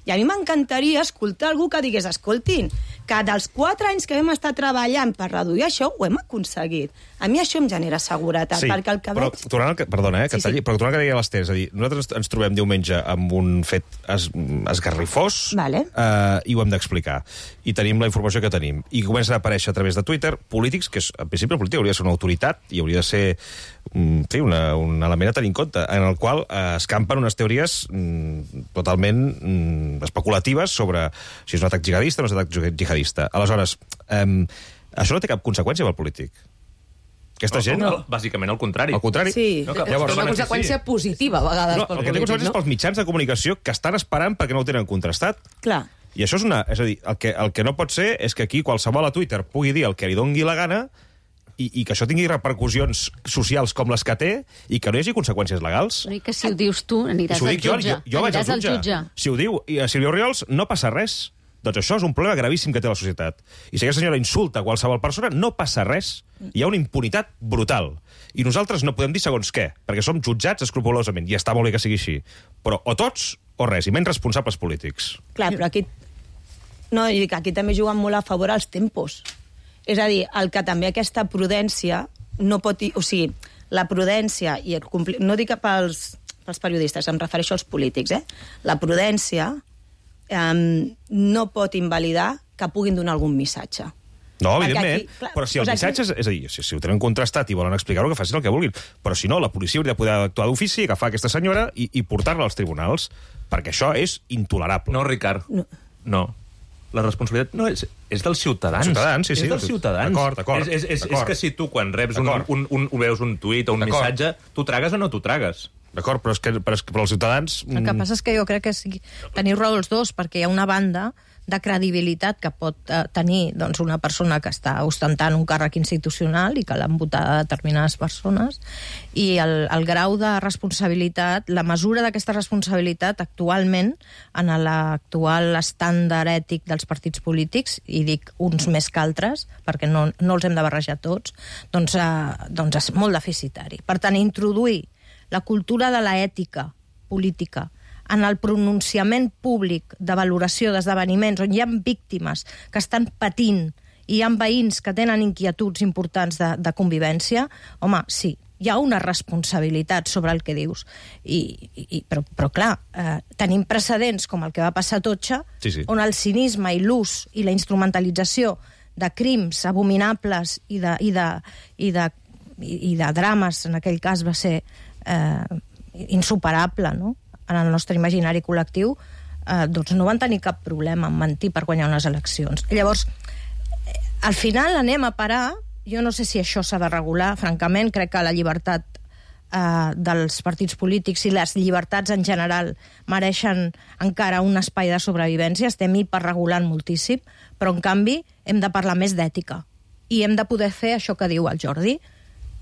I a mi m'encantaria escoltar algú que digués, escoltin, que dels quatre anys que vam estar treballant per reduir això, ho hem aconseguit. A mi això em genera seguretat, sí, perquè el que però, veig... Tornant al que, perdona, eh, que sí, talli, sí. però tornant al que deia l'Ester, és a dir, nosaltres ens trobem diumenge amb un fet es, esgarrifós vale. eh, i ho hem d'explicar. I tenim la informació que tenim. I comencen a aparèixer a través de Twitter polítics, que és, en principi el polític hauria de ser una autoritat i hauria de ser mm, sí, una, un element a tenir en compte, en el qual eh, escampen unes teories mm, totalment mm, especulatives sobre si és un atac jihadista o no és un atac jihadista. Aleshores, eh, això no té cap conseqüència pel polític. Aquesta no, gent... No, bàsicament al contrari. Al contrari. Sí. No, que, Llavors, és una conseqüència positiva, a vegades, no, pel el que té polític, conseqüències no? pels mitjans de comunicació que estan esperant perquè no ho tenen contrastat. Clar. I això és una... És a dir, el que, el que no pot ser és que aquí qualsevol a Twitter pugui dir el que li dongui la gana i, i que això tingui repercussions socials com les que té i que no hi hagi conseqüències legals. No, i que si ho dius tu, aniràs ho al dic jo, jutge. jo, jo vaig al Aniràs jutge. al jutge. Si ho diu i a Sílvia Oriols, no passa res. Doncs això és un problema gravíssim que té la societat. I si aquesta senyora insulta qualsevol persona, no passa res. Hi ha una impunitat brutal. I nosaltres no podem dir segons què, perquè som jutjats escrupolosament, i està molt bé que sigui així. Però o tots o res, i menys responsables polítics. Clar, però aquí... No, i aquí també juguen molt a favor als tempos. És a dir, el que també aquesta prudència no pot... O sigui, la prudència i el compli... No dic pels, pels periodistes, em refereixo als polítics, eh? La prudència eh, no pot invalidar que puguin donar algun missatge. No, Perquè evidentment, aquí, clar, però si el doncs missatge... És, és a dir, si, si ho tenen contrastat i volen explicar-ho, que facin el que vulguin. Però si no, la policia hauria de poder actuar d'ofici, agafar aquesta senyora i, i portar-la als tribunals, perquè això és intolerable. No, Ricard. No. No. La responsabilitat no és, és dels ciutadans. Ciutadans, sí, sí. És dels ciutadans. D'acord, d'acord. És, és, és, és que si tu, quan reps un, un, un, un, veus un tuit o un missatge, tu tragues o no tu tragues. D'acord, però és que però, és que, però els ciutadans... El que passa és que jo crec que sí, teniu raó els dos, perquè hi ha una banda de credibilitat que pot eh, tenir doncs, una persona que està ostentant un càrrec institucional i que l'han votat a determinades persones, i el, el grau de responsabilitat, la mesura d'aquesta responsabilitat actualment en l'actual estàndard ètic dels partits polítics, i dic uns més que altres, perquè no, no els hem de barrejar tots, doncs, eh, doncs és molt deficitari. Per tant, introduir la cultura de l'ètica política en el pronunciament públic de valoració d'esdeveniments on hi ha víctimes que estan patint i hi ha veïns que tenen inquietuds importants de, de convivència, home, sí, hi ha una responsabilitat sobre el que dius. I, i, però, però, clar, eh, tenim precedents com el que va passar a Totxa, sí, sí. on el cinisme i l'ús i la instrumentalització de crims abominables i de, i de, i de i, i de drames, en aquell cas va ser eh, insuperable, no?, en el nostre imaginari col·lectiu, eh, doncs no van tenir cap problema en mentir per guanyar unes eleccions. Llavors, eh, al final anem a parar, jo no sé si això s'ha de regular, francament, crec que la llibertat eh, dels partits polítics i les llibertats en general mereixen encara un espai de sobrevivència, estem hiperregulant moltíssim, però en canvi hem de parlar més d'ètica i hem de poder fer això que diu el Jordi,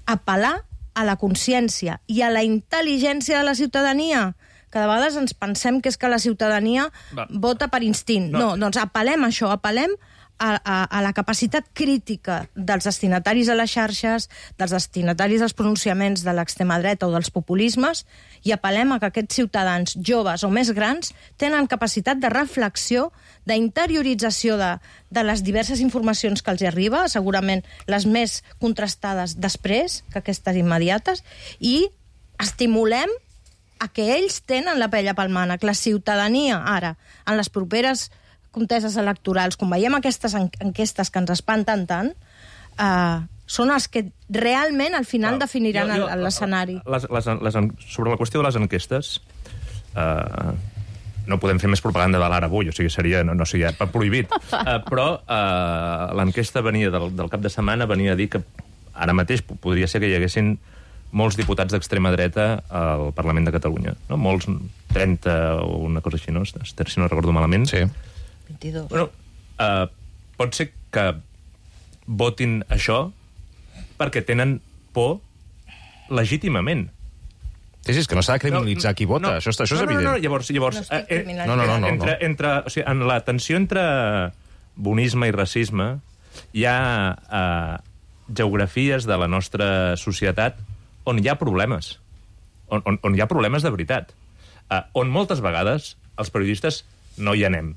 apel·lar a la consciència i a la intel·ligència de la ciutadania, que de vegades ens pensem que és que la ciutadania Va. vota per instint. No. no, doncs apel·lem a això, apel·lem a, a, a la capacitat crítica dels destinataris a les xarxes, dels destinataris als pronunciaments de l'extrema dreta o dels populismes, i apel·lem a que aquests ciutadans joves o més grans tenen capacitat de reflexió, d'interiorització de, de les diverses informacions que els hi arriba, segurament les més contrastades després que aquestes immediates, i estimulem a que ells tenen la pella pel mànec. La ciutadania, ara, en les properes conteses electorals, quan veiem aquestes enquestes que ens espanten tant, eh, són els que realment al final Clar, definiran jo, jo, l'escenari. Les, les, les, sobre la qüestió de les enquestes, eh, no podem fer més propaganda de l'ara avui, o sigui, seria, no, no seria prohibit, eh, però eh, l'enquesta venia del, del cap de setmana, venia a dir que ara mateix podria ser que hi haguessin molts diputats d'extrema dreta al Parlament de Catalunya. No? Molts, trenta o una cosa així, no? Si no recordo malament. Sí. vint-i-dos. Bueno, uh, pot ser que votin això perquè tenen por legítimament. Sí, sí, és que no s'ha de criminalitzar no, qui vota, no, això, això és no, no, evident. No, no, llavors, llavors no, eh, no, no, no, no, entre, entre, o sigui, en la tensió entre bonisme i racisme hi ha eh, geografies de la nostra societat on hi ha problemes, on, on, on hi ha problemes de veritat, eh, on moltes vegades els periodistes no hi anem.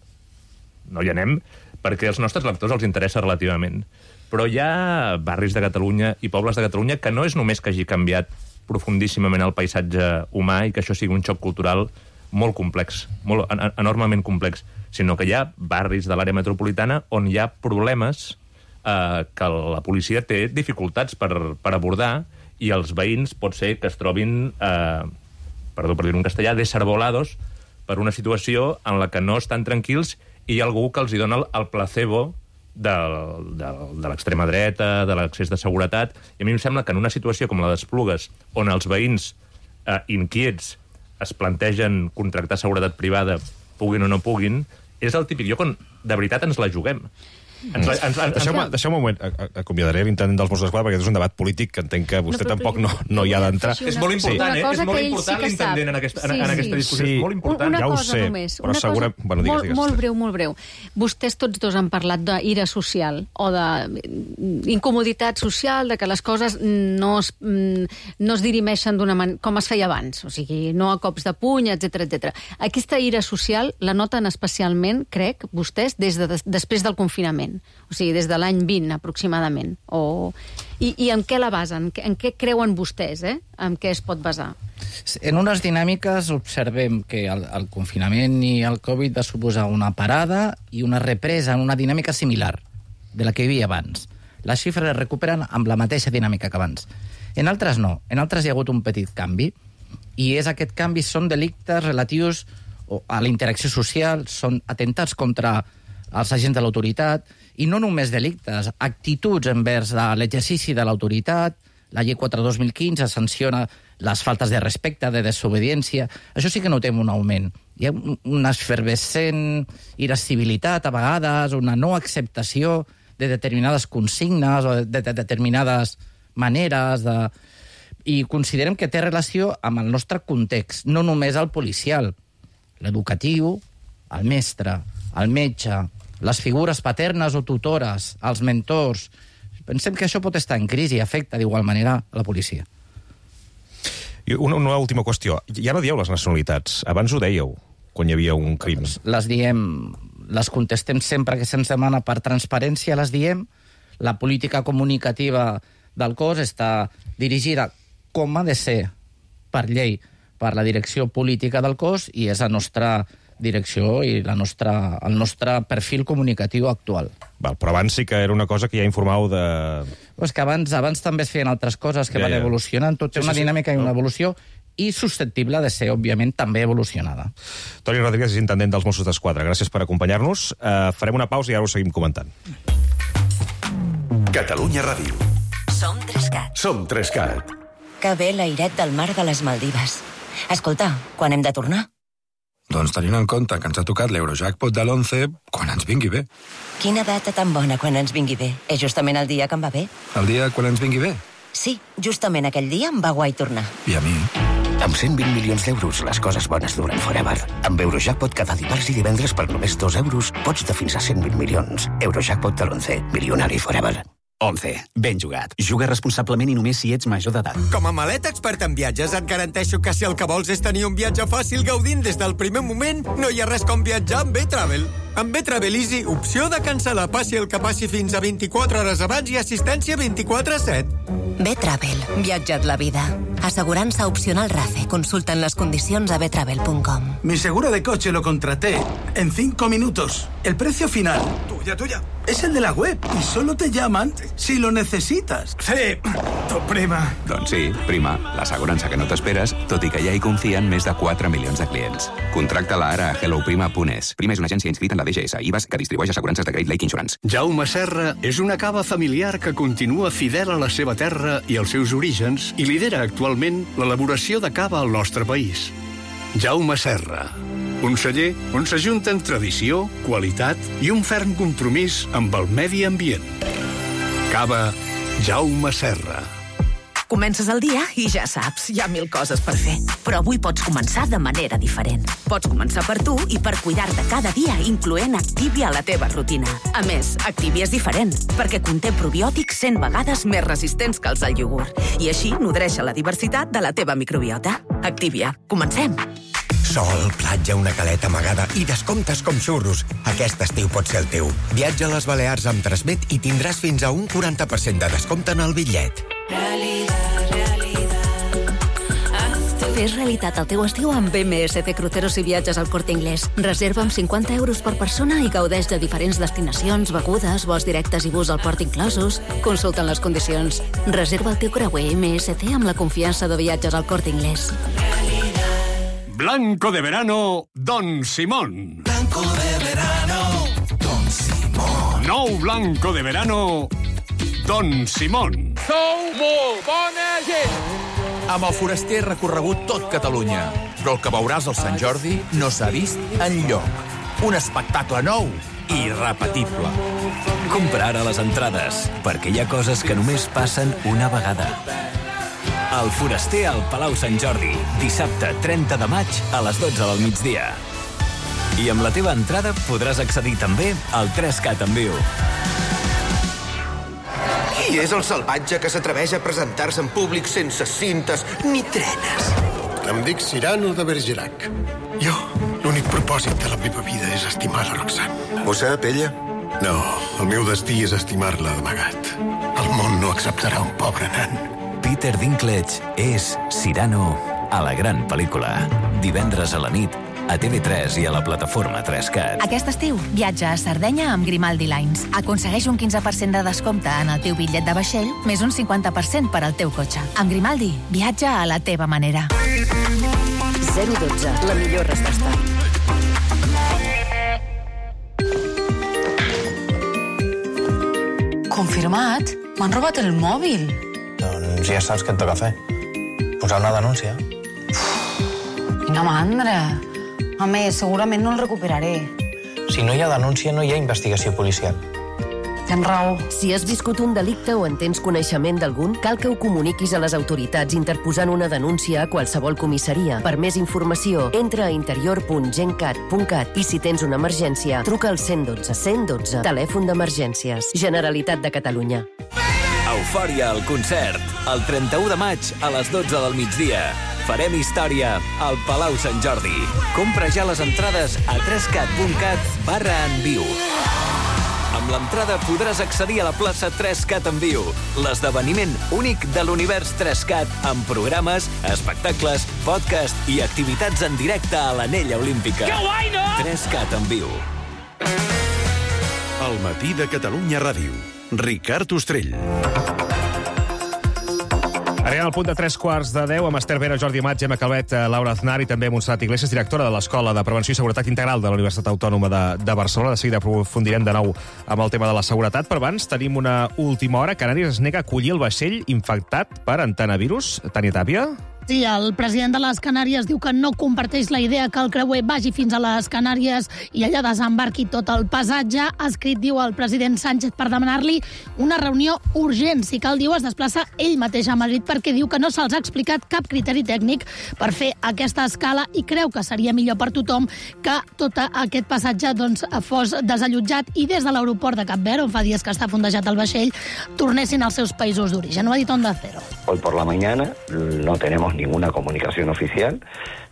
No hi anem perquè als nostres lectors els interessa relativament. Però hi ha barris de Catalunya i pobles de Catalunya que no és només que hagi canviat profundíssimament el paisatge humà i que això sigui un xoc cultural molt complex, molt, en, enormement complex, sinó que hi ha barris de l'àrea metropolitana on hi ha problemes eh, que la policia té dificultats per, per abordar, i els veïns pot ser que es trobin, eh, perdó per dir-ho en castellà, desarbolados per una situació en la que no estan tranquils i hi ha algú que els hi dona el, el placebo de, de, de l'extrema dreta, de l'accés de seguretat, i a mi em sembla que en una situació com la d'Esplugues, on els veïns eh, inquiets es plantegen contractar seguretat privada, puguin o no puguin, és el típic lloc on de veritat ens la juguem. Ens, ens, ens, Deixeu-me deixeu un moment, acomiadaré l'intendent dels Mossos d'Esquadra, perquè és un debat polític que entenc que vostè no, tampoc no, no hi ha d'entrar. És molt important, sí. eh? És molt important sí l'intendent en aquesta, en, sí, en aquesta discussió. Sí. És molt important. Una ja cosa ho sé, només. Però una segura... cosa bueno, digues, molt, digues. molt breu, molt breu. Vostès tots dos han parlat d'ira social o d'incomoditat social, de que les coses no es, no es dirimeixen d'una manera com es feia abans, o sigui, no a cops de puny, etcètera, etcètera. Aquesta ira social la noten especialment, crec, vostès, des de, després del confinament. O sigui, des de l'any vint, aproximadament. O... I, I en què la basen? En què creuen vostès, eh? En què es pot basar? En unes dinàmiques observem que el, el confinament i el Covid va suposar una parada i una represa en una dinàmica similar de la que hi havia abans. Les xifres es recuperen amb la mateixa dinàmica que abans. En altres no. En altres hi ha hagut un petit canvi, i és aquest canvi són delictes relatius a la interacció social, són atentats contra els agents de l'autoritat, i no només delictes, actituds envers l'exercici de l'autoritat. La llei quatre dos mil quinze sanciona les faltes de respecte, de desobediència. Això sí que notem un augment. Hi ha una efervescent irascibilitat, a vegades, una no acceptació de determinades consignes o de, de determinades maneres de... I considerem que té relació amb el nostre context, no només el policial, l'educatiu, el mestre, el metge, les figures paternes o tutores, els mentors. Pensem que això pot estar en crisi i afecta d'igual manera a la policia. I una, una última qüestió. Ja no dieu les nacionalitats. Abans ho dèieu, quan hi havia un crim. Les diem, les contestem sempre que se'ns demana per transparència, les diem. La política comunicativa del cos està dirigida, com ha de ser, per llei, per la direcció política del cos, i és la nostra direcció i la nostra, el nostre perfil comunicatiu actual. Val, però abans sí que era una cosa que ja informàveu de... Pues que abans, abans també es feien altres coses que ja, van ja. evolucionant, tot té Sí, una sí, sí. dinàmica i una No. evolució, i susceptible de ser, òbviament, també evolucionada. Toni Rodríguez és intendent dels Mossos d'Esquadra. Gràcies per acompanyar-nos. Uh, farem una pausa i ara ho seguim comentant. Catalunya Ràdio. Som Trescat. Som Trescat. Que bé l'airet del mar de les Maldives. Escolta, quan hem de tornar? Doncs tenint en compte que ens ha tocat l'Eurojackpot de l'onze, quan ens vingui bé. Quina data tan bona quan ens vingui bé. És justament el dia que em va bé. El dia quan ens vingui bé. Sí, justament aquell dia em va guai tornar. I a mi? Amb cent vint milions d'euros, les coses bones duren forever. Amb Eurojackpot cada dimarts i divendres per només dos euros pots de fins a cent vint milions. Eurojackpot de l'onze, milionari forever. onze. Ben jugat. Juga responsablement i només si ets major d'edat. Com a maleta expert en viatges et garanteixo que si el que vols és tenir un viatge fàcil gaudint des del primer moment, no hi ha res com viatjar amb B-Travel. Amb B-Travel Easy, opció de cancel·lar passi el que passi fins a vint-i-quatre hores abans i assistència vint-i-quatre set. B-Travel. Viatja't la vida. Assegurança opcional RACE. Consulten les condicions a betravel punt com. Mi seguro de coche lo contraté en cinco minutos. El precio final. Tuya, tuya. Es el de la web y solo te llaman si lo necesitas. Sí, tu prima. Doncs sí, prima, l'assegurança que no t'esperes, tot i que ja hi confien més de quatre milions de clients. Contracta-la ara a hello prima punt es. Prima és una agència inscrita en la D G S, I V A S, que distribueix assegurances de Great Lake Insurance. Jaume Serra és una cava familiar que continua fidel a la seva terra i als seus orígens i lidera actualment l'elaboració de cava al nostre país. Jaume Serra, un celler on s'ajunten tradició, qualitat i un ferm compromís amb el medi ambient. Cava Jaume Serra. Comences el dia i ja saps, hi ha mil coses per fer. Però avui pots començar de manera diferent. Pots començar per tu i per cuidar-te cada dia, incloent Activia a la teva rutina. A més, Activia és diferent, perquè conté probiòtics cent vegades més resistents que els del iogurt. I així nodreix la diversitat de la teva microbiota. Activia. Comencem! Sol, platja, una caleta amagada i descomptes com xurros. Aquest estiu pot ser el teu. Viatja a les Balears amb Transmet i tindràs fins a un quaranta per cent de descompte en el bitllet. Realitat, realitat. Fes realitat el teu estiu amb M S C Cruceros i Viatges al Corte Inglés. Reserva amb cinquanta euros per persona i gaudeix de diferents destinacions, begudes, vols directes i bus al port inclosos. Consulta les condicions. Reserva el teu creuer M S C amb la confiança de Viatges al Corte Inglés. Blanco de verano, Don Simón. Blanco de verano, Don Simón. Nou blanco de verano, Don Simón. Sou molt bona gent! Amb el Foraster he recorregut tot Catalunya, però el que veuràs al Sant Jordi no s'ha vist enlloc. Un espectacle nou i irrepetible. Compra ara les entrades, perquè hi ha coses que només passen una vegada. El Foraster al Palau Sant Jordi, dissabte trenta de maig a les dotze del migdia. I amb la teva entrada podràs accedir també al tres cat en viu. Qui és el salvatge que s'atreveix a presentar-se en públic sense cintes ni trenes? Em dic Cyrano de Bergerac. Jo, l'únic propòsit de la meva vida és estimar la Roxane. Ho sap, ella? No, el meu destí és estimar-la d'amagat. El món no acceptarà un pobre nan. Peter Dinklage és Cyrano a la gran pel·lícula. Divendres a la nit, a T V tres i a la plataforma tres cat. Aquest estiu, viatja a Sardenya amb Grimaldi Lines. Aconsegueix un quinze per cent de descompte en el teu bitllet de vaixell, més un cinquanta per cent per al teu cotxe. Amb Grimaldi, viatja a la teva manera. zero dotze, la millor resposta. Confirmat? M'han robat el mòbil. Doncs ja saps què et toca fer. Posar una denúncia. Quina mandra. A més, segurament no el recuperaré. Si no hi ha denúncia, no hi ha investigació policial. Tens raó. Si has viscut un delicte o en tens coneixement d'algun, cal que ho comuniquis a les autoritats interposant una denúncia a qualsevol comissaria. Per més informació, entra a interior punt gencat punt cat i si tens una emergència, truca al cent i dotze. cent i dotze, telèfon d'emergències. Generalitat de Catalunya. Eufòria al concert, el trenta-u de maig a les dotze del migdia. Farem història al Palau Sant Jordi. Compra ja les entrades a tres cat punt cat barra en viu. Amb l'entrada podràs accedir a la plaça tres cat en viu, l'esdeveniment únic de l'univers tres cat amb programes, espectacles, podcast i activitats en directe a l'Anella Olímpica. Que guai, no? tres cat en viu. El matí de Catalunya Ràdio. Ricard Ostrell. Arribem al punt de tres quarts de deu amb Esther Vera, Jordi Amat, Gemma Calvet, Laura Aznar i també Montserrat Iglesias, directora de l'Escola de Prevenció i Seguretat Integral de la Universitat Autònoma de, de Barcelona. De seguida aprofundirem de nou amb el tema de la seguretat, però abans tenim una última hora. Canàries es nega a acollir el vaixell infectat per antenavirus. Tània Tàpia? Sí, el president de les Canàries diu que no comparteix la idea que el creuer vagi fins a les Canàries i allà desembarqui tot el passatge. Ha escrit, diu el president Sánchez, per demanar-li una reunió urgent. Si cal, diu, es desplaça ell mateix a Madrid perquè diu que no se'ls ha explicat cap criteri tècnic per fer aquesta escala i creu que seria millor per tothom que tot aquest passatge doncs, fos desallotjat i des de l'aeroport de Cap Verd, on fa dies que està fondejat el vaixell, tornessin als seus països d'origen. Ho ha dit Onda Cero. Hoy por la mañana no tenemos ninguna comunicación oficial.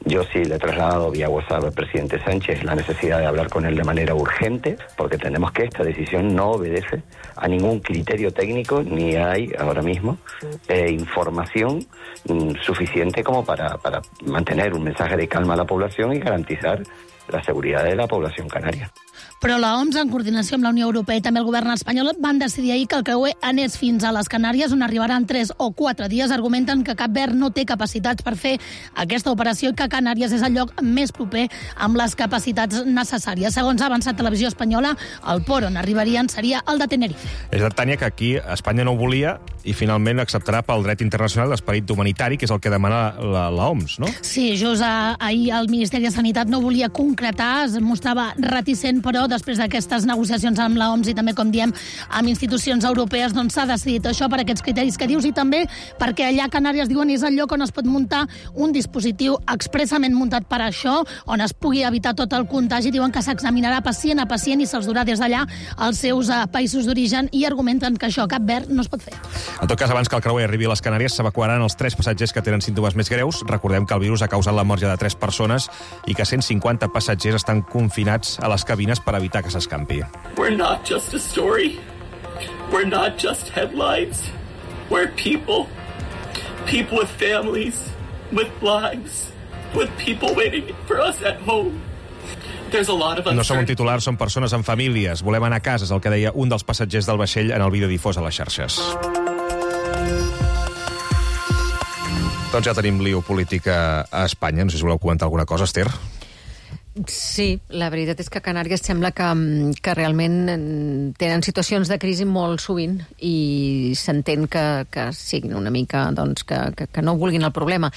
Yo sí le he trasladado vía WhatsApp al presidente Sánchez la necesidad de hablar con él de manera urgente, porque tenemos que esta decisión no obedece a ningún criterio técnico, ni hay ahora mismo eh, información mm, suficiente como para, para mantener un mensaje de calma a la población y garantizar la seguridad de la población canaria. Però la O M S, en coordinació amb la Unió Europea i també el govern espanyol, van decidir ahir que el creuer anés fins a les Canàries, on arribaran tres o quatre dies. Argumenten que Cap Verd no té capacitats per fer aquesta operació i que Canàries és el lloc més proper amb les capacitats necessàries. Segons ha avançat Televisió Espanyola, el port on arribarien seria el de Tenerife. És de Tània que aquí Espanya no ho volia i finalment acceptarà pel dret internacional l'esperit humanitari, que és el que demana la, la O M S, no? Sí, just ahir el Ministeri de Sanitat no volia concretar, es mostrava reticent, però després d'aquestes negociacions amb la O M S i també, com diem, amb institucions europees, doncs s'ha decidit això per aquests criteris que dius i també perquè allà a Canàries, diuen, és el lloc on es pot muntar un dispositiu expressament muntat per això, on es pugui evitar tot el contagi. Diuen que s'examinarà pacient a pacient i se'ls durà des d'allà als seus uh, països d'origen i argumenten que això a Cap Verd no es pot fer. En tot cas, abans que el creuer arribi a les Canàries, s'evacuaran els tres passatgers que tenen símptomes més greus. Recordem que el virus ha causat la mort ja de tres persones i que cent cinquanta passatgers estan confinats a les cabines per evitar que s'escampi. We're not just a story. We're not just headlines. We're people. People with families, with lives, with people waiting for us at home. There's a lot of no som un titular, som persones amb famílies. Volem anar a casa, és el que deia un dels passatgers del vaixell en el vídeo difós a les xarxes. Doncs ja tenim lío polític a Espanya. No sé si voleu comentar alguna cosa, Esther. Sí, la veritat és que Canàries sembla que, que realment tenen situacions de crisi molt sovint i s'entén que, que siguin una mica, doncs, que, que, que no vulguin el problema,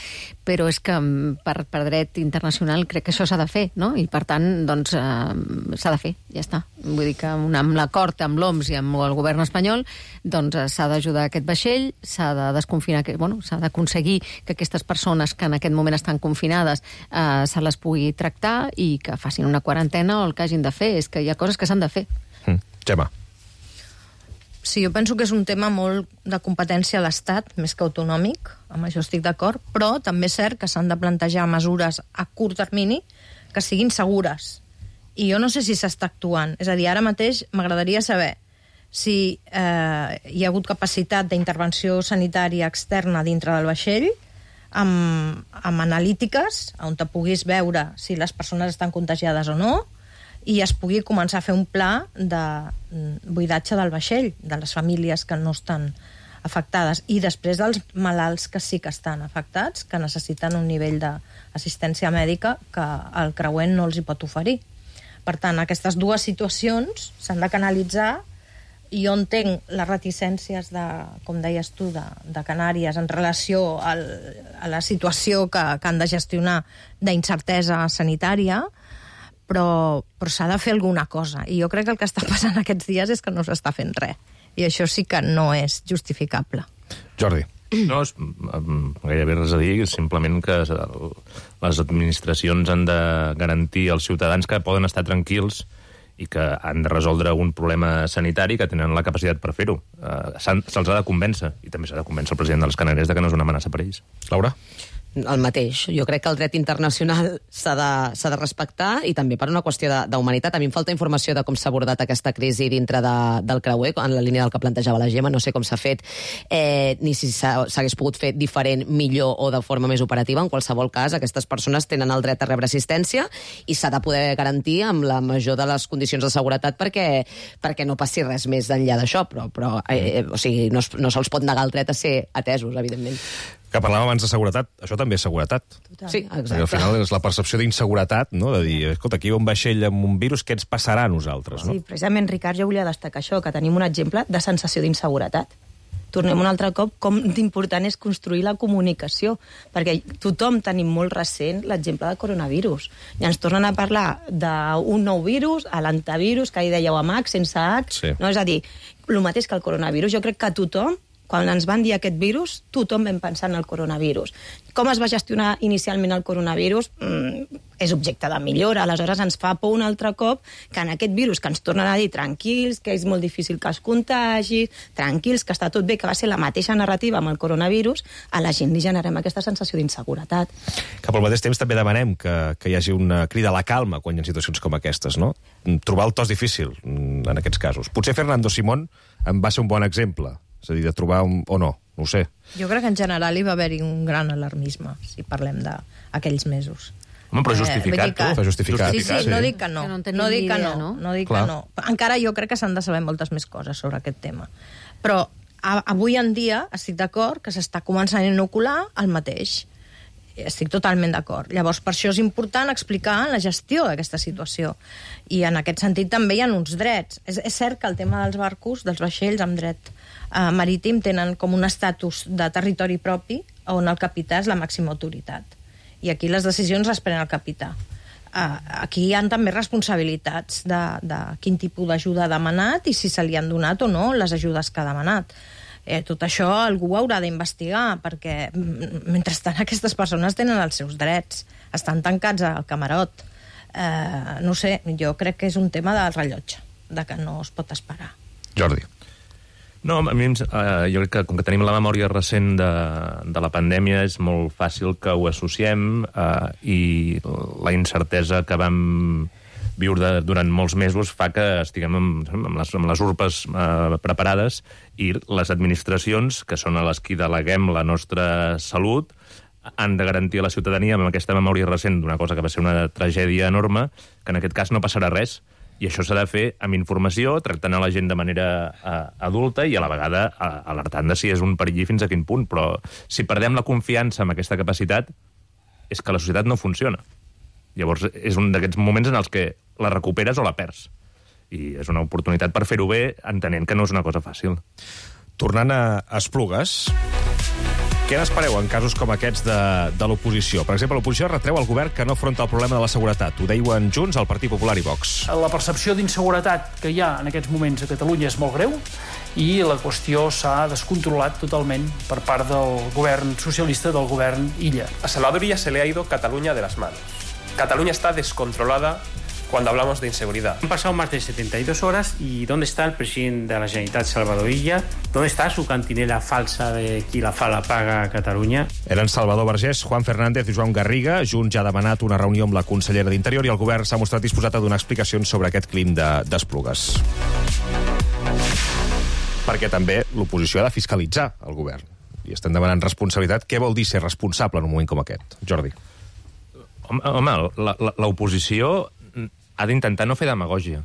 però és que per, per dret internacional crec que això s'ha de fer, no? I per tant, doncs, eh, s'ha de fer, ja està. Vull dir que amb l'acord amb l'O M S i amb el govern espanyol, doncs s'ha d'ajudar aquest vaixell, s'ha de desconfinar, bueno, s'ha d'aconseguir que aquestes persones que en aquest moment estan confinades eh, se les pugui tractar i que facin una quarantena o el que hagin de fer. És que hi ha coses que s'han de fer. Mm. Gemma. Sí, jo penso que és un tema molt de competència a l'Estat, més que autonòmic, amb això estic d'acord, però també és cert que s'han de plantejar mesures a curt termini que siguin segures. I jo no sé si s'està actuant. És a dir, ara mateix m'agradaria saber si eh, hi ha hagut capacitat d'intervenció sanitària externa dintre del vaixell, amb, amb analítiques, on te puguis veure si les persones estan contagiades o no, i es pugui començar a fer un pla de buidatge del vaixell, de les famílies que no estan afectades, i després dels malalts que sí que estan afectats, que necessiten un nivell d'assistència mèdica que el creuer no els hi pot oferir. Per tant, aquestes dues situacions s'han de canalitzar. Jo entenc les reticències, de, com deies tu, de, de Canàries en relació al, a la situació que, que han de gestionar d'incertesa sanitària, però, però s'ha de fer alguna cosa. I jo crec que el que està passant aquests dies és que no s'està fent res. I això sí que no és justificable. Jordi. No, és gairebé res a dir, simplement que les administracions han de garantir als ciutadans que poden estar tranquils i que han de resoldre un problema sanitari, que tenen la capacitat per fer-ho. Uh, Se'ls ha de convèncer, i també s'ha de convèncer el president de les Canàries de que no és una amenaça per ells. Laura? el mateix. Jo crec que el dret internacional s'ha de, s'ha de respectar i també per una qüestió d'humanitat. A mi em falta informació de com s'ha abordat aquesta crisi dintre de, del creuer, en la línia del que plantejava la Gemma, no sé com s'ha fet, eh, ni si s'hagués pogut fer diferent, millor o de forma més operativa. En qualsevol cas, aquestes persones tenen el dret a rebre assistència i s'ha de poder garantir amb la major de les condicions de seguretat perquè, perquè no passi res més enllà d'això, però, però eh, o sigui, no, no se'ls pot negar el dret a ser atesos, evidentment. Que parlàvem abans de seguretat, això també és seguretat. Total. Sí, exacte. Perquè al final és la percepció d'inseguretat, no? De dir, escolta, aquí hi ha un vaixell amb un virus, què ens passarà a nosaltres? No? Sí, precisament, Ricard, jo volia destacar això, que tenim un exemple de sensació d'inseguretat. Tornem un altre cop com d'important és construir la comunicació, perquè tothom tenim molt recent l'exemple del coronavirus. I ens tornen a parlar d'un nou virus, a l'antivirus, que hi dèieu amb H, sense H. Sí. No? És a dir, el mateix que el coronavirus. Jo crec que tothom, quan ens van dir aquest virus, tothom vam pensar en el coronavirus. Com es va gestionar inicialment el coronavirus? Mm, és objecte de millora. Aleshores ens fa por un altre cop que en aquest virus que ens tornen a dir tranquils, que és molt difícil que es contagi, tranquils, que està tot bé, que va ser la mateixa narrativa amb el coronavirus, a la gent li generem aquesta sensació d'inseguretat. Que pel mateix temps també demanem que, que hi hagi una crida a la calma quan hi ha situacions com aquestes, no? Trobar el to és difícil en aquests casos. Potser Fernando Simón en va ser un bon exemple. És a dir, de trobar un... o no, no ho sé. Jo crec que en general hi va haver-hi un gran alarmisme, si parlem d'aquells mesos. Home, però justificat, eh, tu. Està justificat. Sí, sí, no dic que no. Que no, no dic que no. no. no, dic que no. Encara jo crec que s'han de saber moltes més coses sobre aquest tema. Però a, avui en dia estic d'acord que s'està començant a inocular el mateix. Estic totalment d'acord. Llavors, per això és important explicar la gestió d'aquesta situació. I en aquest sentit també hi ha uns drets. És, és cert que el tema dels barcos, dels vaixells amb dret eh, marítim, tenen com un estatus de territori propi on el capità és la màxima autoritat. I aquí les decisions les pren el capità. Uh, aquí hi ha també responsabilitats de, de quin tipus d'ajuda ha demanat i si se li han donat o no les ajudes que ha demanat. Eh, tot això algú haurà d'investigar, perquè mentrestant aquestes persones tenen els seus drets, estan tancats al camarot. Eh, no sé, jo crec que és un tema del rellotge, de que no es pot esperar. Jordi. No, a mi, eh, jo crec que com que tenim la memòria recent de, de la pandèmia és molt fàcil que ho associem eh, i la incertesa que vam viure durant molts mesos fa que estiguem amb, amb, les, amb les urpes eh, preparades i les administracions, que són a les qui deleguem la nostra salut, han de garantir a la ciutadania amb aquesta memòria recent d'una cosa que va ser una tragèdia enorme, que en aquest cas no passarà res. I això s'ha de fer amb informació, tractant a la gent de manera uh, adulta i a la vegada uh, alertant de si és un perill i fins a quin punt. Però si perdem la confiança en aquesta capacitat, és que la societat no funciona. Llavors és un d'aquests moments en els que la recuperes o la perds. I és una oportunitat per fer-ho bé, entenent que no és una cosa fàcil. Tornant a Esplugues, què n'espereu en casos com aquests de, de l'oposició? Per exemple, l'oposició retreu al govern que no afronta el problema de la seguretat. Ho deien Junts, el Partit Popular i Vox. La percepció d'inseguretat que hi ha en aquests moments a Catalunya és molt greu i la qüestió s'ha descontrolat totalment per part del govern socialista, del govern Illa. A Salvador Illa se le ha ido Cataluña de las manos. Cataluña está descontrolada cuando hablamos de inseguridad. Han pasado más de setenta y dos horas y ¿dónde está el presidente de la Generalitat, Salvador Illa? ¿Dónde está su cantinela falsa de qui la fa la paga a Catalunya? Eren Salvador Vergés, Juan Fernández i Joan Garriga. Junts ja ha demanat una reunió amb la consellera d'Interior i el govern s'ha mostrat disposat a donar explicacions sobre aquest crim d'Esplugues. Perquè també l'oposició ha de fiscalitzar el govern. I estem demanant responsabilitat. Què vol dir ser responsable en un moment com aquest? Jordi. Home, l'oposició ha d'intentar no fer demagògia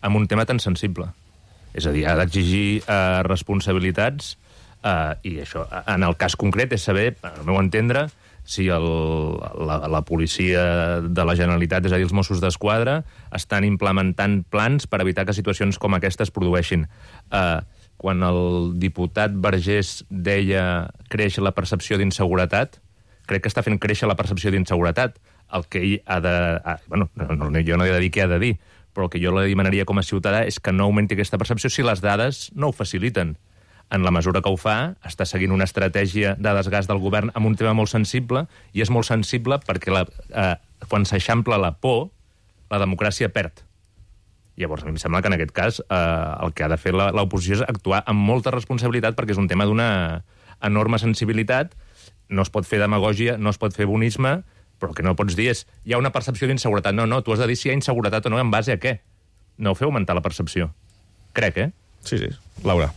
amb un tema tan sensible. És a dir, ha d'exigir eh, responsabilitats eh, i això, en el cas concret, és saber, al meu entendre, si el, la, la policia de la Generalitat, és a dir, els Mossos d'Esquadra, estan implementant plans per evitar que situacions com aquestes produeixin. Eh, quan el diputat Vergés deia creix la percepció d'inseguretat, crec que està fent créixer la percepció d'inseguretat. El que ell ha de... Ah, bueno, no, no, jo no he de dir què ha de dir, però el que jo li demanaria com a ciutadà és que no augmenti aquesta percepció si les dades no ho faciliten. En la mesura que ho fa, està seguint una estratègia de desgast del govern amb un tema molt sensible, i és molt sensible perquè la, eh, quan s'eixampla la por, la democràcia perd. Llavors, a mi em sembla que en aquest cas eh, el que ha de fer l'oposició és actuar amb molta responsabilitat perquè és un tema d'una enorme sensibilitat no es pot fer demagògia, no es pot fer bonisme, però el que no pots dir és hi ha una percepció d'inseguretat. No, no, tu has de dir si hi ha inseguretat o no, en base a què? No feu augmentar la percepció. Crec, eh? Sí, sí. Laura.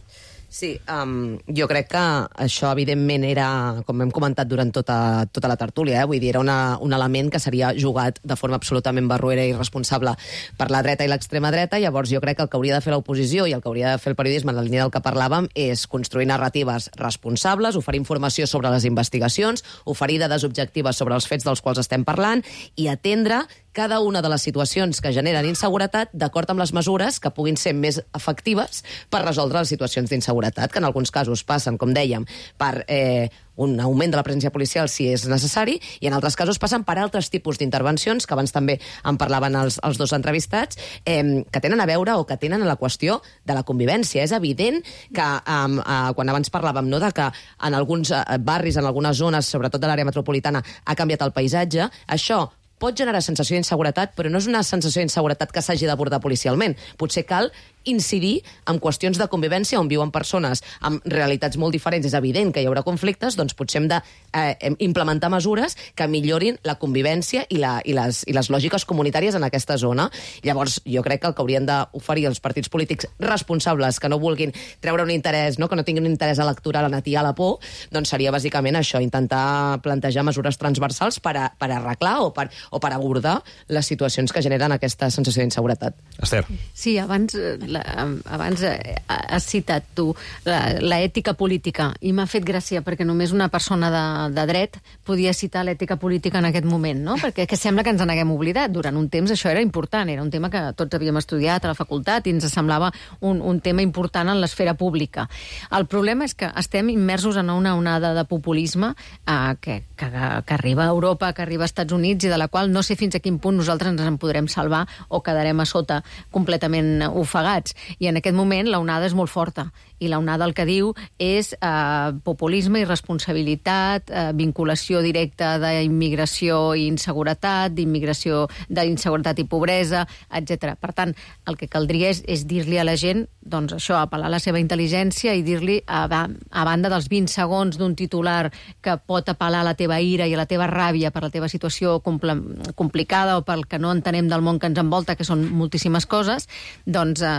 Sí, um, jo crec que això, evidentment, era, com hem comentat durant tota, tota la tertúlia, eh? Vull dir, era una, un element que seria jugat de forma absolutament barruera i irresponsable per la dreta i l'extrema dreta. Llavors, jo crec que el que hauria de fer l'oposició i el que hauria de fer el periodisme en la línia del que parlàvem és construir narratives responsables, oferir informació sobre les investigacions, oferir dades objectives sobre els fets dels quals estem parlant i atendre cada una de les situacions que generen inseguretat d'acord amb les mesures que puguin ser més efectives per resoldre les situacions d'inseguretat, que en alguns casos passen, com dèiem, per eh, un augment de la presència policial si és necessari, i en altres casos passen per altres tipus d'intervencions, que abans també en parlaven els, els dos entrevistats, eh, que tenen a veure o que tenen a la qüestió de la convivència. És evident que, eh, eh, quan abans parlàvem no, de que en alguns eh, barris, en algunes zones, sobretot de l'àrea metropolitana, ha canviat el paisatge, això pot generar sensació d'inseguretat, però no és una sensació d'inseguretat que s'hagi d'abordar policialment. Potser cal incidir en qüestions de convivència on viuen persones amb realitats molt diferents. És evident que hi haurà conflictes, doncs potser hem d'implementar eh, mesures que millorin la convivència i, la, i, les, i les lògiques comunitàries en aquesta zona. Llavors, jo crec que el que haurien d'oferir els partits polítics responsables que no vulguin treure un interès, no? que no tinguin un interès electoral en atiar la por, doncs seria bàsicament això, intentar plantejar mesures transversals per, a, per arreglar o per, o per abordar les situacions que generen aquesta sensació d'inseguretat. Esther. Sí, abans, la, abans has citat tu l'ètica política, i m'ha fet gràcia perquè només una persona de, de dret podia citar l'ètica política en aquest moment, no? Perquè que sembla que ens n'haguem oblidat. Durant un temps això era important, era un tema que tots havíem estudiat a la facultat i ens semblava un, un tema important en l'esfera pública. El problema és que estem immersos en una onada de populisme eh, que, que, que arriba a Europa, que arriba als Estats Units i de la qual no sé fins a quin punt nosaltres ens en podrem salvar o quedarem a sota completament ofegats. I en aquest moment la onada és molt forta i la onada el que diu és eh, populisme, irresponsabilitat, eh, vinculació directa d'immigració i inseguretat, d'immigració d'inseguretat i pobresa, etcètera. Per tant, el que caldria és, és dir-li a la gent, doncs això, apel·lar a la seva intel·ligència i dir-li, a, a banda dels vint segons d'un titular que pot apel·lar a la teva ira i a la teva ràbia per la teva situació compl complicada o pel que no entenem del món que ens envolta, que són moltíssimes coses, doncs eh,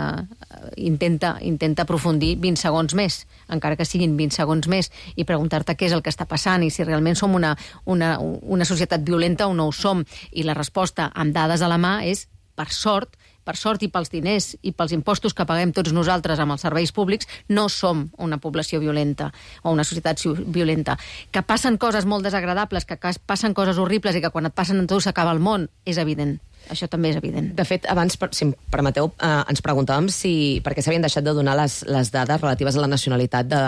intenta, intenta aprofundir vint segons més, encara que siguin vint segons més, i preguntar-te què és el que està passant i si realment som una, una, una societat violenta o no ho som. I la resposta amb dades a la mà és, per sort, per sort i pels diners i pels impostos que paguem tots nosaltres amb els serveis públics, no som una població violenta o una societat violenta. Que passen coses molt desagradables, que passen coses horribles i que quan et passen en tu s'acaba el món, és evident. Això també és evident. De fet, abans, si em permeteu, eh, ens preguntàvem si perquè s'havien deixat de donar les, les dades relatives a la nacionalitat de,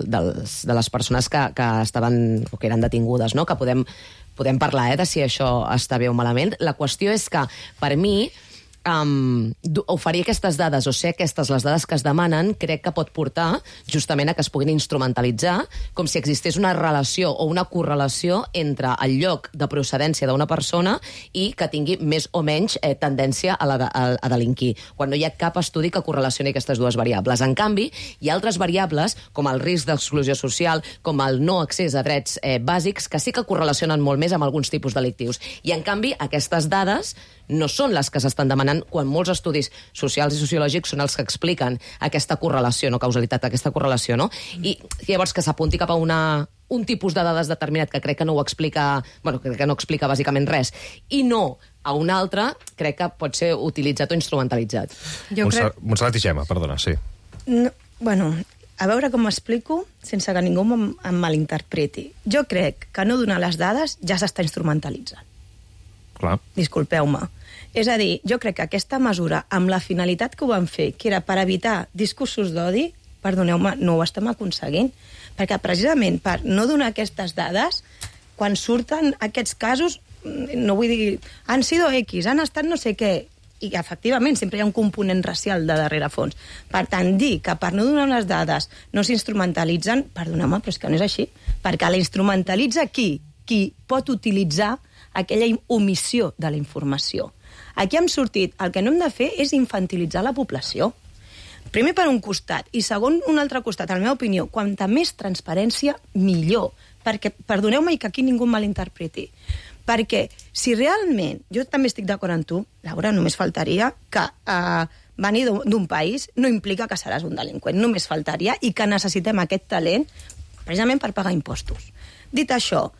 dels, de les persones que, que estaven o que eren detingudes, no? Que podem, podem parlar eh, de si això està bé o malament. La qüestió és que, per mi, Um, oferir aquestes dades o ser aquestes les dades que es demanen crec que pot portar justament a que es puguin instrumentalitzar com si existés una relació o una correlació entre el lloc de procedència d'una persona i que tingui més o menys eh, tendència a, la de, a, a delinquir, quan no hi ha cap estudi que correlacioni aquestes dues variables. En canvi, hi ha altres variables, com el risc d'exclusió social, com el no accés a drets eh, bàsics, que sí que correlacionen molt més amb alguns tipus delictius. I, en canvi, aquestes dades no són les que s'estan demanant quan molts estudis socials i sociològics són els que expliquen aquesta correlació, no causalitat, aquesta correlació, no? I llavors que s'apunti cap a una, un tipus de dades determinat que crec que no ho explica, bueno, crec que no explica bàsicament res, i no a un altre, crec que pot ser utilitzat o instrumentalitzat. Jo crec... Montserrat i Gemma, perdona, sí. No, bueno, a veure com m'explico sense que ningú em, em malinterpreti. Jo crec que no donar les dades ja s'està instrumentalitzant. Clar. Disculpeu-me. És a dir, jo crec que aquesta mesura, amb la finalitat que ho van fer, que era per evitar discursos d'odi, perdoneu-me, no ho estem aconseguint. Perquè precisament per no donar aquestes dades, quan surten aquests casos, no vull dir, han sido X, han estat no sé què, i efectivament sempre hi ha un component racial de darrere fons. Per tant, dir que per no donar les dades no s'instrumentalitzen, perdoneu-me, però és que no és així, perquè la instrumentalitza qui? Qui pot utilitzar aquella omissió de la informació. Aquí hem sortit, el que no hem de fer és infantilitzar la població. Primer per un costat, i segon un altre costat, en la meva opinió, quanta més transparència, millor. perquè, perdoneu-me que aquí ningú malinterpreti, perquè si realment, jo també estic d'acord amb tu, Laura, només faltaria que eh, venir d'un país no implica que seràs un delinqüent, només faltaria, i que necessitem aquest talent precisament per pagar impostos. Dit això,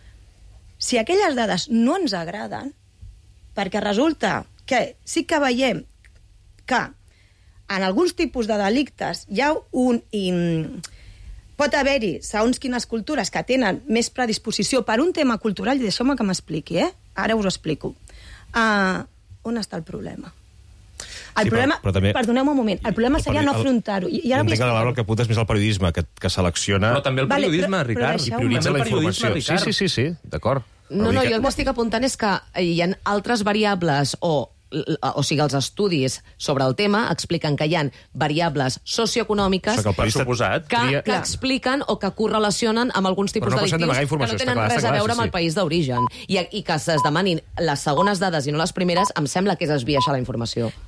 si aquelles dades no ens agraden, perquè resulta que sí que veiem que en alguns tipus de delictes hi ha un... In... pot haver-hi, segons quines cultures, que tenen més predisposició per un tema cultural, i deixeu-me que m'expliqui, eh? Ara us ho explico. Uh, on està el problema? El sí, problema, però, però també... perdoneu-me un moment, el problema el seria no afrontar-ho. I, i ara entenc que el que apunta és més al periodisme, que, que selecciona... Però també el periodisme, vale, però, Ricard, i prioritza la informació. Ricard. Sí, sí, sí, sí, d'acord. No, no, jo el que estic apuntant és que hi ha altres variables o o sigui, els estudis sobre el tema expliquen que hi ha variables socioeconòmiques que, que, que expliquen o que correlacionen amb alguns tipus no delictius que no tenen res a veure amb el país d'origen. I, I que es demanin les segones dades i no les primeres, em sembla que és esbiaixar la informació.